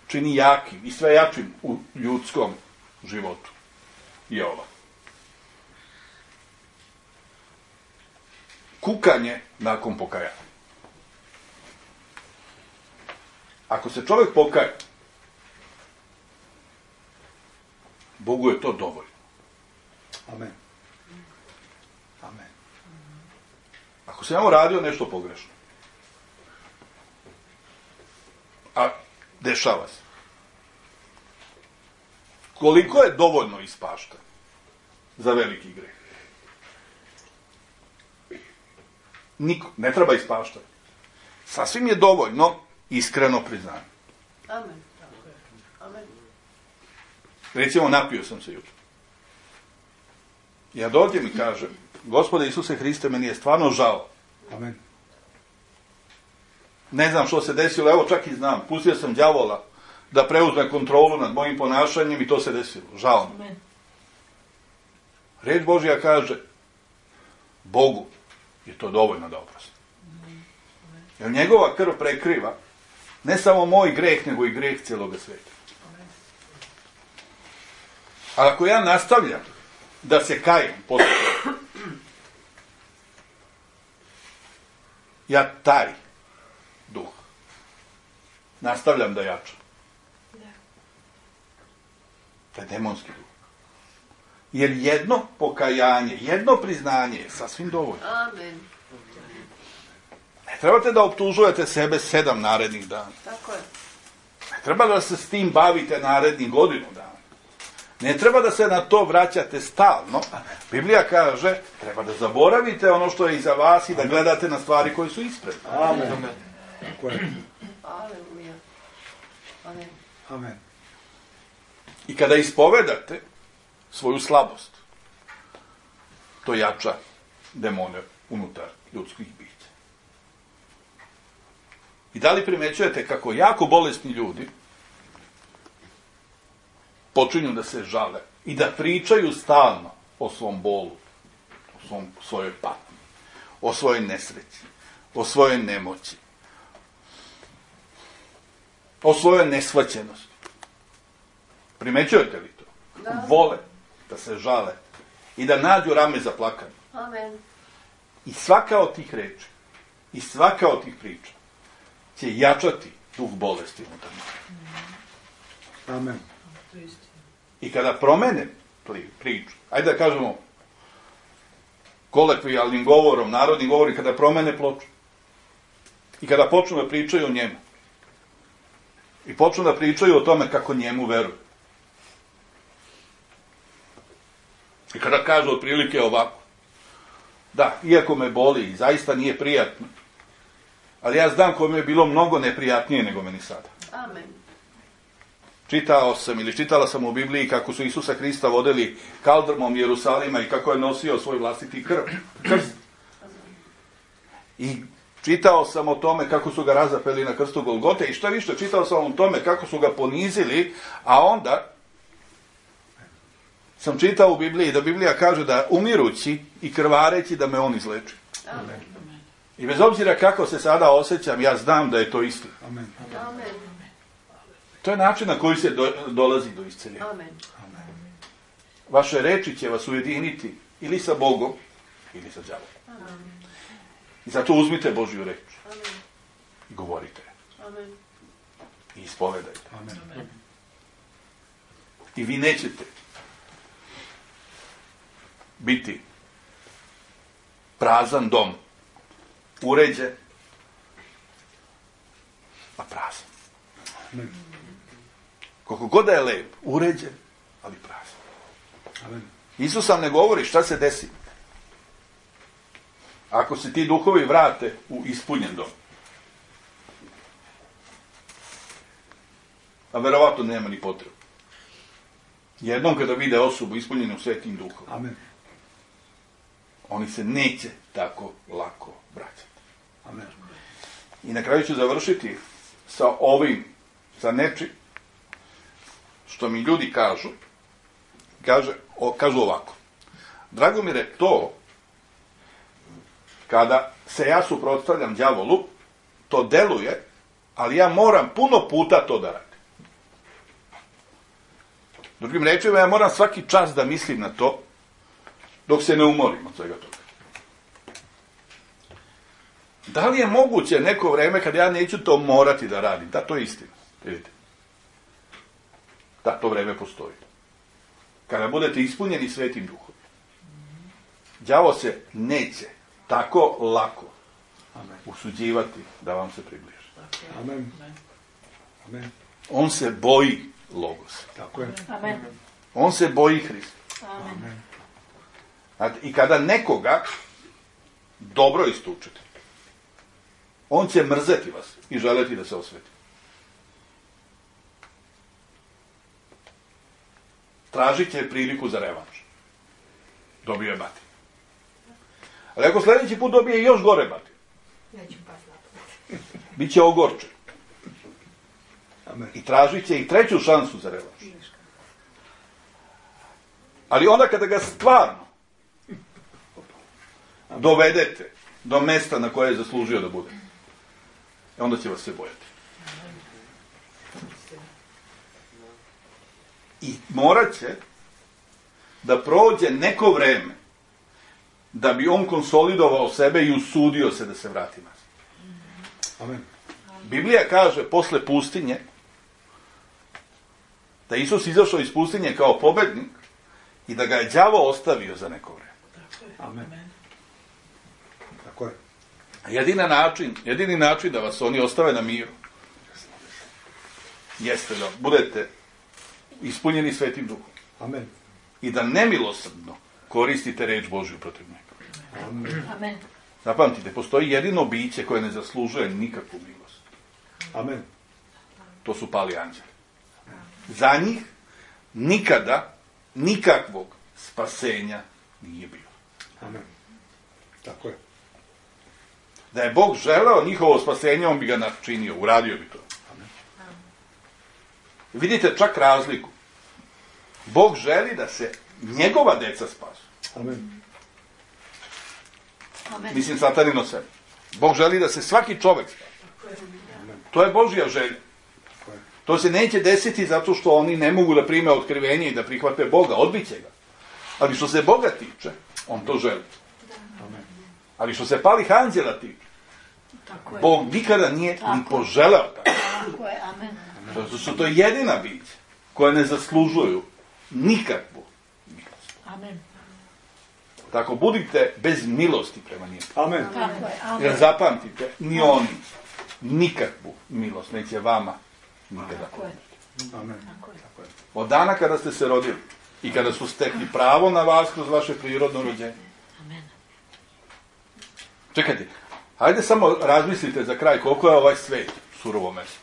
čini jakim i sve jačim u ljudskom životu je ova. Kukanje nakon pokajanja. Ako se čovjek pokaje, Bogu je to dovoljno. Amen. Amen. Ako se ja radio nešto pogrešno, a dešava se, koliko je dovoljno ispašta za veliki greh? Niko, ne treba ispaštati. Sasvim je dovoljno iskreno priznanje. Amen. Tako je. Amen. Recimo, napio sam se jutro. Ja dođem i kažem, Gospode Isuse Hriste, meni je stvarno žao. Amen. Ne znam što se desilo, evo čak i znam. Pustio sam đavola da preuzme kontrolu nad mojim ponašanjem i to se desilo. Žao mi. Amen. Reč Božja kaže, Bogu je to dovoljno da oprosti. Jer njegova krv prekriva ne samo moj greh, nego i greh cijeloga sveta. A ako ja nastavljam da se kajem posle toga, ja taj duh nastavljam da jačam. To je demonski duh. Jer jedno pokajanje, jedno priznanje je sasvim dovoljno. Amen. Ne trebate da optužujete sebe sedam narednih dana. Tako je. Ne treba da se s tim bavite narednih godinu dana. Ne treba da se na to vraćate stalno. Biblija kaže, treba da zaboravite ono što je iza vas i da gledate na stvari koje su ispred. Amen. Tako je. Aleluja. Amen. Amen. I kada ispovedate svoju slabost, to jača demone unutar ljudskih bića. I da li primećujete kako jako bolesni ljudi počinju da se žale i da pričaju stalno o svom bolu, o svom, svojoj patnji, o svojoj nesreći, o svojoj nemoći, o svojoj neshvaćenosti. Primećujete li to? Da. Vole da se žale i da nađu rame za plakanje. Amen. I svaka od tih reči, i svaka od tih priča će jačati duh bolesti unutar njih. Amen. I kada promene priču, ajde da kažemo kolekvijalnim govorom, narodnim govorom, kada promene ploču i kada počnu da pričaju o njemu i počnu da pričaju o tome kako njemu veruju i kada kažu otprilike ovako, da, iako me boli i zaista nije prijatno, ali ja znam kome je bilo mnogo neprijatnije nego meni sada. Amen. Čitao sam ili čitala sam u Bibliji kako su Isusa Hrista vodili kaldrmom Jerusalima i kako je nosio svoj vlastiti krv. Krst. I čitao sam o tome kako su ga razapeli na krstu Golgote i što više, čitao sam o tome kako su ga ponizili, a onda sam čitao u Bibliji da Biblija kaže da umirući i krvareći da me on izleči. Amen. I bez obzira kako se sada osjećam, ja znam da je to istina. Amen. Amen. To je način na koji se do, dolazi do isceljenja. Amen. Vaše reči će vas ujediniti ili sa Bogom, ili sa đavolom. Amen. I zato uzmite Božju reč Amen. i govorite Amen. i ispovedajte. Amen. I vi nećete biti prazan dom, uređen, a prazan. Amen. Koliko god da je lep, uređen, ali prazan. Amen. Isus sam ne govori šta se desi ako se ti duhovi vrate u ispunjen dom. A verovatno nema ni potrebu. Jednom kada vide osobu ispunjenu svetim duhom, Amen. oni se neće tako lako vraćati. Amen. I na kraju ću završiti sa ovim, sa nečim, što mi ljudi kažu, kaže, o, kažu ovako. Dragomire, to, kada se ja suprotstavljam đavolu, to deluje, ali ja moram puno puta to da radim. Drugim rečima, ja moram svaki čas da mislim na to, dok se ne umorim od svega toga. Da li je moguće neko vreme kad ja neću to morati da radim? Da, to je istina. Vidite. Da, to vreme postoji. Kada budete ispunjeni svetim duhom, đavo se neće tako lako Amen. usuđivati da vam se približi. Amen. Amen. On se boji Logosa. Tako je. Amen. On se boji Hrista. Amen. Znate, i kada nekoga dobro istučete, on će mrzeti vas i želeti da se osveti. Tražit će priliku za revanš. Dobio je batin. Ali ako sljedeći put dobije još gore batin, bit će ogorčen. Amen. I tražit će i treću šansu za revanš. Ali onda kada ga stvarno dovedete do mesta na koje je zaslužio da bude, onda će vas se bojati. I morat će da prođe neko vreme da bi on konsolidovao sebe i usudio se da se vrati nazad. Amen. Biblija kaže posle pustinje da je Isus izašao iz pustinje kao pobednik i da ga je đavo ostavio za neko vreme. Amen. Tako je. Jedina način, jedini način da vas oni ostave na miru jeste da budete ispunjeni svetim duhom Amen. i da nemilosrdno koristite reč Božju protiv njega. Amen. Amen. Zapamtite, postoji jedino biće koje ne zaslužuje nikakvu milost. Amen. To su pali anđeli. Za njih nikada nikakvog spasenja nije bilo. Amen. Tako je. Da je Bog želeo njihovo spasenje, on bi ga načinio, uradio bi to. Amen. Vidite čak razliku. Bog želi da se njegova deca spasu. Amen. Amen. Mislim, satanino sebe. Bog želi da se svaki čovjek spasi. Amen. To je Božja želja. Tako je. To se neće desiti zato što oni ne mogu da prime otkrivenje i da prihvate Boga, odbit će ga. Ali što se Boga tiče, on to želi. Ali što se palih anđela tiče, Bog nikada nije ni poželeo tako. Tako je, amen. Zato su to jedina bića koja ne zaslužuju nikakvu milost. Amen. Tako budite bez milosti prema njima. Amen. Tako je, amen. Jer zapamtite, ni oni nikakvu milost neće vama nikada. Tako je. Amen. Tako je. Od dana kada ste se rodili i kada su stekli pravo na vas kroz vaše prirodno rođenje. Amen. Čekajte, hajde samo razmislite za kraj koliko je ovaj svet surovo mesto.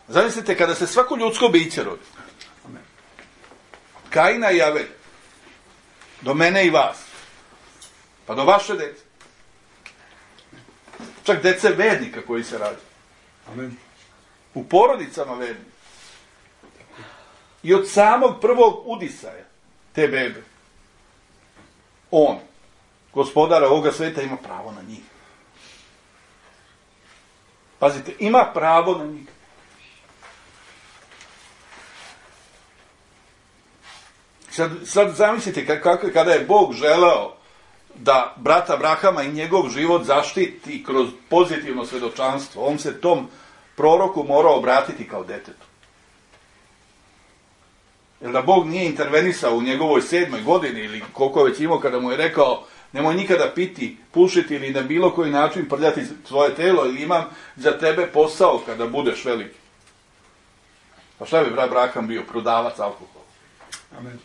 Zamislite kada se svako ljudsko biće rodi. Amen. Kaina i Avelja. Do mene i vas. Pa do vaše dece. Čak dece vernika koji se rađaju. Amen. U porodicama vernika. I od samog prvog udisaja te bebe. On, gospodara ovoga sveta, ima pravo na njih. Pazite, ima pravo na njih. Sad, sad zamislite kako, kada je Bog želeo da brata Abrahama i njegov život zaštiti kroz pozitivno svedočanstvo, on se tom proroku morao obratiti kao detetu. Jer da Bog nije intervenisao u njegovoj sedmoj godini ili koliko je već imao kada mu je rekao nemoj nikada piti, pušiti ili na bilo koji način prljati svoje telo ili imam za tebe posao kada budeš veliki. Pa šta bi brat Abraham bio? Prodavac alkohola. Amen.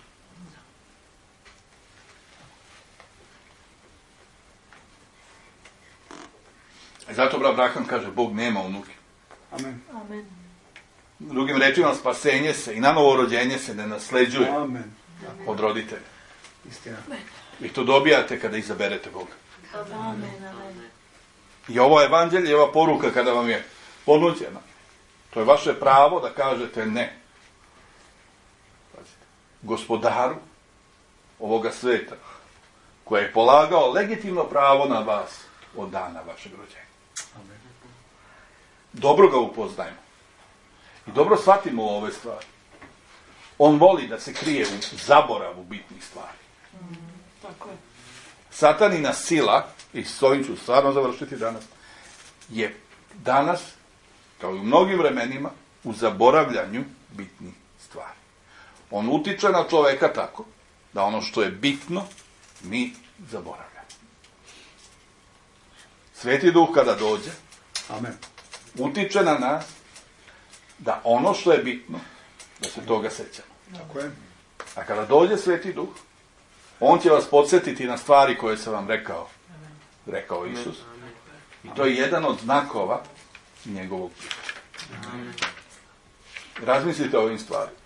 I zato brat Abraham kaže Bog nema unuke. Amen. Amen. Drugim rečima, spasenje se i na novo rođenje se ne nasleđuje Amen. od roditelja. Istina. Vi to dobijate kada izaberete Boga. Amen. Amen. I ovo evanđelje, ova poruka kada vam je ponuđena, to je vaše pravo da kažete ne. Pazite, gospodaru ovoga sveta, koji je polagao legitimno pravo na vas od dana vašeg rođenja. Amen. Dobro ga upoznajmo. I dobro shvatimo ove stvari. On voli da se krije u zaboravu bitnih stvari. Tako je. Satanina sila, i s ovim ću stvarno završiti danas, je danas, kao i u mnogim vremenima, u zaboravljanju bitnih stvari. On utiče na čoveka tako, da ono što je bitno, mi zaboravljamo. Sveti Duh kada dođe, Amen. utiče na nas, da ono što je bitno, da se toga sećamo. Tako je. A kada dođe Sveti Duh, on će vas podsjetiti na stvari koje sam vam rekao. Rekao Isus. I to je jedan od znakova njegovog prihvata. Razmislite o ovim stvarima.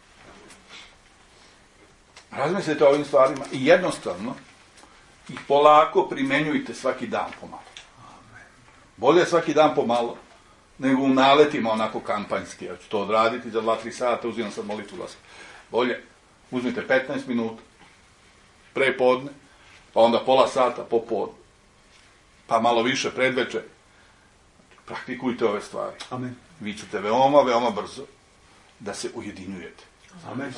Razmislite o ovim stvarima i jednostavno ih polako primenjujte svaki dan pomalo. Bolje svaki dan pomalo nego u naletima onako kampanjski. Ja ću to odraditi za dva tri sata, uzimam sad molitvu glasa. Bolje, uzmite petnaest minuta, pre podne, pa onda pola sata popodne, pa malo više predveče. Praktikujte ove stvari. Amen. Vi ćete veoma, veoma brzo da se ujedinjujete. Amen.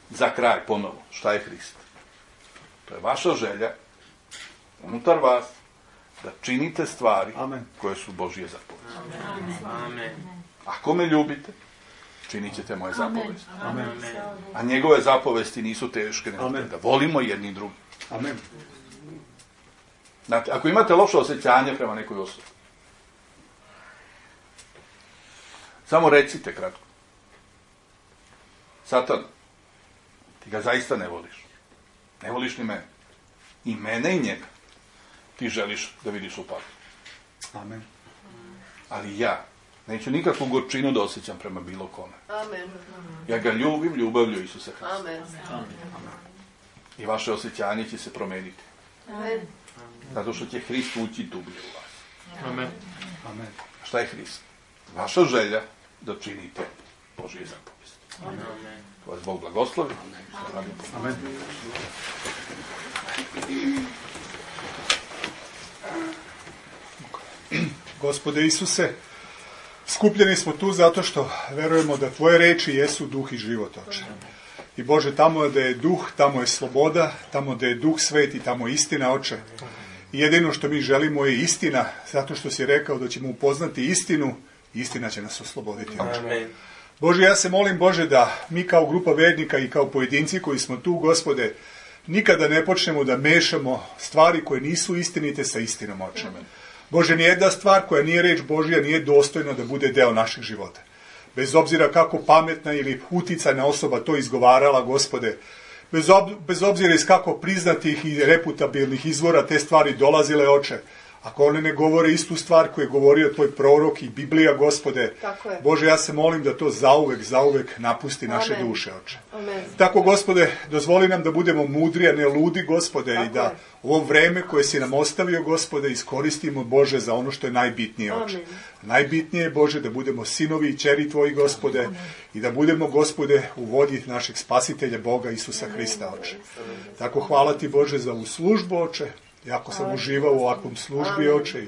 Za kraj ponovo, šta je Hrist? To je vaša želja, unutar vas, da činite stvari Amen. koje su Božje zapovesti. Amen. Ako me ljubite, činit ćete moje zapovesti. Amen. A njegove zapovesti nisu teške, nego Amen. da volimo jedni drugi. Amen. Znate, ako imate loše osjećanje prema nekoj osobi, samo recite kratko. Satan, ti ga zaista ne voliš. Ne voliš ni mene. I mene i njega. Ti želiš da vidiš u paklu. Amen. Ali ja neću nikakvu gorčinu da osjećam prema bilo kome. Amen. Ja ga ljubim ljubavlju Isusa Hrista. Amen. I vaše osjećanje će se promeniti. Amen. Zato što će Hrist ući dublje u vas. Amen. Amen. Šta je Hrist? Vaša želja da činite Božje zapovesti. Amen. Vas Bog blagoslovi. Amen. Gospode Isuse, skupljeni smo tu zato što verujemo da tvoje reči jesu duh i život, Oče. I Bože, tamo da je duh, tamo je sloboda, tamo da je duh sveti, tamo je istina, Oče. I jedino što mi želimo je istina, zato što si rekao da ćemo upoznati istinu, istina će nas osloboditi, Oče. Amen. Bože, ja se molim, Bože, da mi kao grupa vernika i kao pojedinci koji smo tu, Gospode, nikada ne počnemo da mešamo stvari koje nisu istinite sa istinom, Oče. Bože, nijedna stvar koja nije reč Božja nije dostojna da bude deo našeg života. Bez obzira kako pametna ili uticajna osoba to izgovarala, Gospode, bez, ob, bez obzira iz kako priznatih i reputabilnih izvora te stvari dolazile, Oče, ako one ne govore istu stvar koju je govorio tvoj prorok i Biblija, Gospode, Bože, ja se molim da to zauvek, zauvek napusti naše Amen. duše, Oče. Amen. Tako, Gospode, dozvoli nam da budemo mudri, a ne ludi, Gospode, Tako i da je. ovo vreme koje si nam ostavio, Gospode, iskoristimo, Bože, za ono što je najbitnije, Oče. Amen. Najbitnije je, Bože, da budemo sinovi i ćeri Tvoji, Gospode, Amen. I da budemo, Gospode, u vodi našeg spasitelja Boga Isusa Hrista, Oče. Tako, hvala Ti, Bože, za ovu službu, Oče. Jako sam uživao u ovakvom službi, Oče. I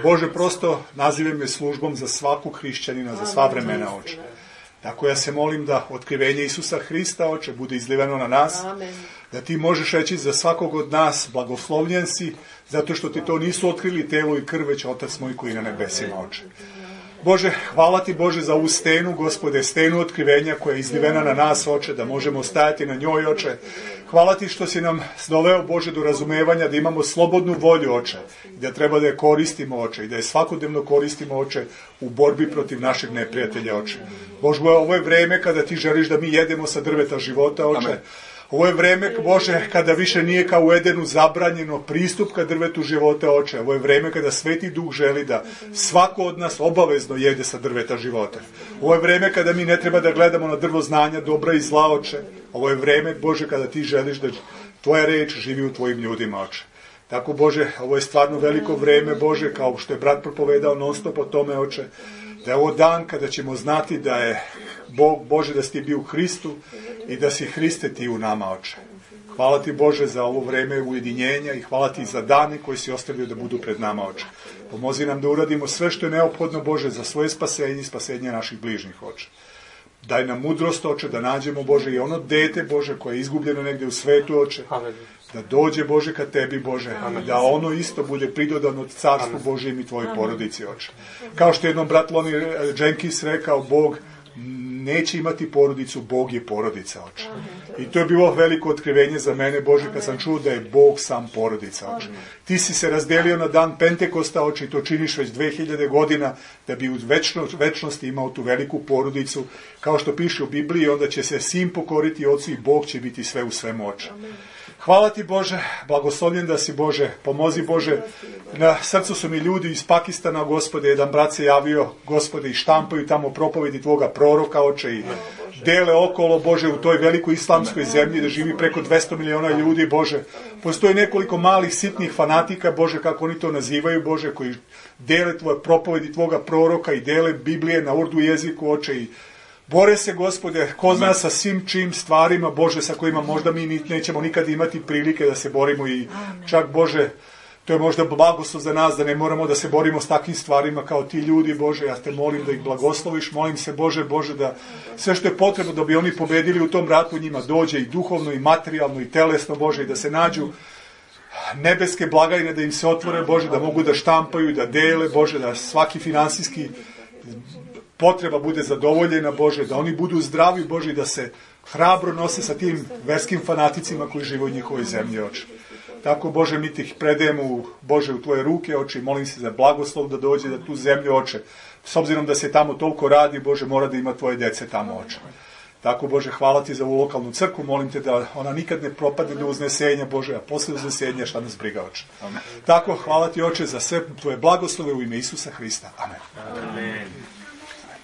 Bože, prosto nazivam me službom za svakog hrišćanina, za sva vremena, Oče. Tako ja se molim da otkrivenje Isusa Hrista, Oče, bude izliveno na nas, Amen. da Ti možeš reći za svakog od nas blagoslovljen si, zato što Ti to nisu otkrili telo i krv, već Otac moj koji je na nebesima, Oče. Bože, hvala Ti, Bože, za ovu stenu, Gospode, stenu otkrivenja koja je izlivena na nas, Oče, da možemo stajati na njoj, Oče. Hvala Ti što si nam doveo, Bože, do razumevanja da imamo slobodnu volju, Oče, i da treba da je koristimo, Oče, i da je svakodnevno koristimo, Oče, u borbi protiv našeg neprijatelja, Oče. Bože, ovo je vreme kada Ti želiš da mi jedemo sa drveta života, Oče. Amen. Ovo je vreme, Bože, kada više nije kao u Edenu zabranjeno pristup ka drvetu života, Oče. Ovo je vreme kada Sveti Duh želi da svako od nas obavezno jede sa drveta života. Ovo je vreme kada mi ne treba da gledamo na drvo znanja, dobra i zla, Oče. Ovo je vreme, Bože, kada Ti želiš da Tvoja reč živi u Tvojim ljudima, Oče. Tako, Bože, ovo je stvarno veliko vreme, Bože, kao što je brat propovedao non stop o tome, Oče. Da je ovo dan kada ćemo znati da je Bog, Bože, da si Ti bio u Hristu i da si Hriste Ti u nama, Oče. Hvala Ti, Bože, za ovo vreme ujedinjenja i hvala Ti za dane koji si ostavio da budu pred nama, Oče. Pomozi nam da uradimo sve što je neophodno, Bože, za svoje spasenje i spasenje naših bližnjih, Oče. Daj nam mudrost, Oče, da nađemo, Bože, i ono dete, Bože, koje je izgubljeno negdje u svetu, Oče. Da dođe, Bože, ka Tebi, Bože, i da ono isto bude pridodano carstvu Božijem i Tvojoj porodici, Oče. Kao što je jednom brat Lonnie Jenkins rekao, Bog neće imati porodicu, Bog je porodica, Oče. I to je bilo veliko otkrivenje za mene, Bože, kad sam čuo da je Bog sam porodica, Oče. Ti si se razdelio na dan Pentekosta, Oče, i to činiš već dve hiljade godina, da bi u večno, večnosti imao tu veliku porodicu, kao što piše u Bibliji, onda će se sin pokoriti Ocu i Bog će biti sve u svemu, Oče. Hvala Ti, Bože, blagoslovljen da si, Bože, pomozi, Bože. Na srcu su mi ljudi iz Pakistana, Gospode, jedan brat se javio, Gospode, i štampaju tamo propovedi Tvoga proroka, Oče, i dele okolo, Bože, u toj velikoj islamskoj zemlji, da živi preko dvesta miliona ljudi, Bože. Postoji nekoliko malih sitnih fanatika, Bože, kako oni to nazivaju, Bože, koji dele Tvoje propovedi Tvoga proroka i dele Biblije na urdu jeziku, Oče, i bore se, Gospode, ko zna sa svim čim stvarima, Bože, sa kojima možda mi nećemo nikad imati prilike da se borimo i čak, Bože, to je možda blagoslov za nas da ne moramo da se borimo s takvim stvarima kao ti ljudi, Bože, ja te molim da ih blagosloviš, molim se, Bože, Bože, da sve što je potrebno da bi oni pobedili u tom ratu njima dođe i duhovno i materijalno i telesno, Bože, i da se nađu nebeske blagajne, da im se otvore, Bože, da mogu da štampaju, da dele, Bože, da svaki finansijski potreba bude zadovoljena, Bože, da oni budu zdravi, Bože, i da se hrabro nose sa tim verskim fanaticima koji žive u njihovoj zemlji, Oče. Tako, Bože, mi ti ih predajemo, Bože, u Tvoje ruke, Oče, i molim se za blagoslov da dođe da tu zemlju, Oče. S obzirom da se tamo toliko radi, Bože, mora da ima Tvoje dece tamo, Oče. Tako, Bože, hvala Ti za ovu lokalnu crkvu, molim Te da ona nikad ne propadne do uznesenja, Bože, a posle uznesenja šta nas briga, Oče. Amen. Tako, hvala Ti, Oče, za sve Tvoje blagoslove u ime Isusa Hrista. Amen. Amen.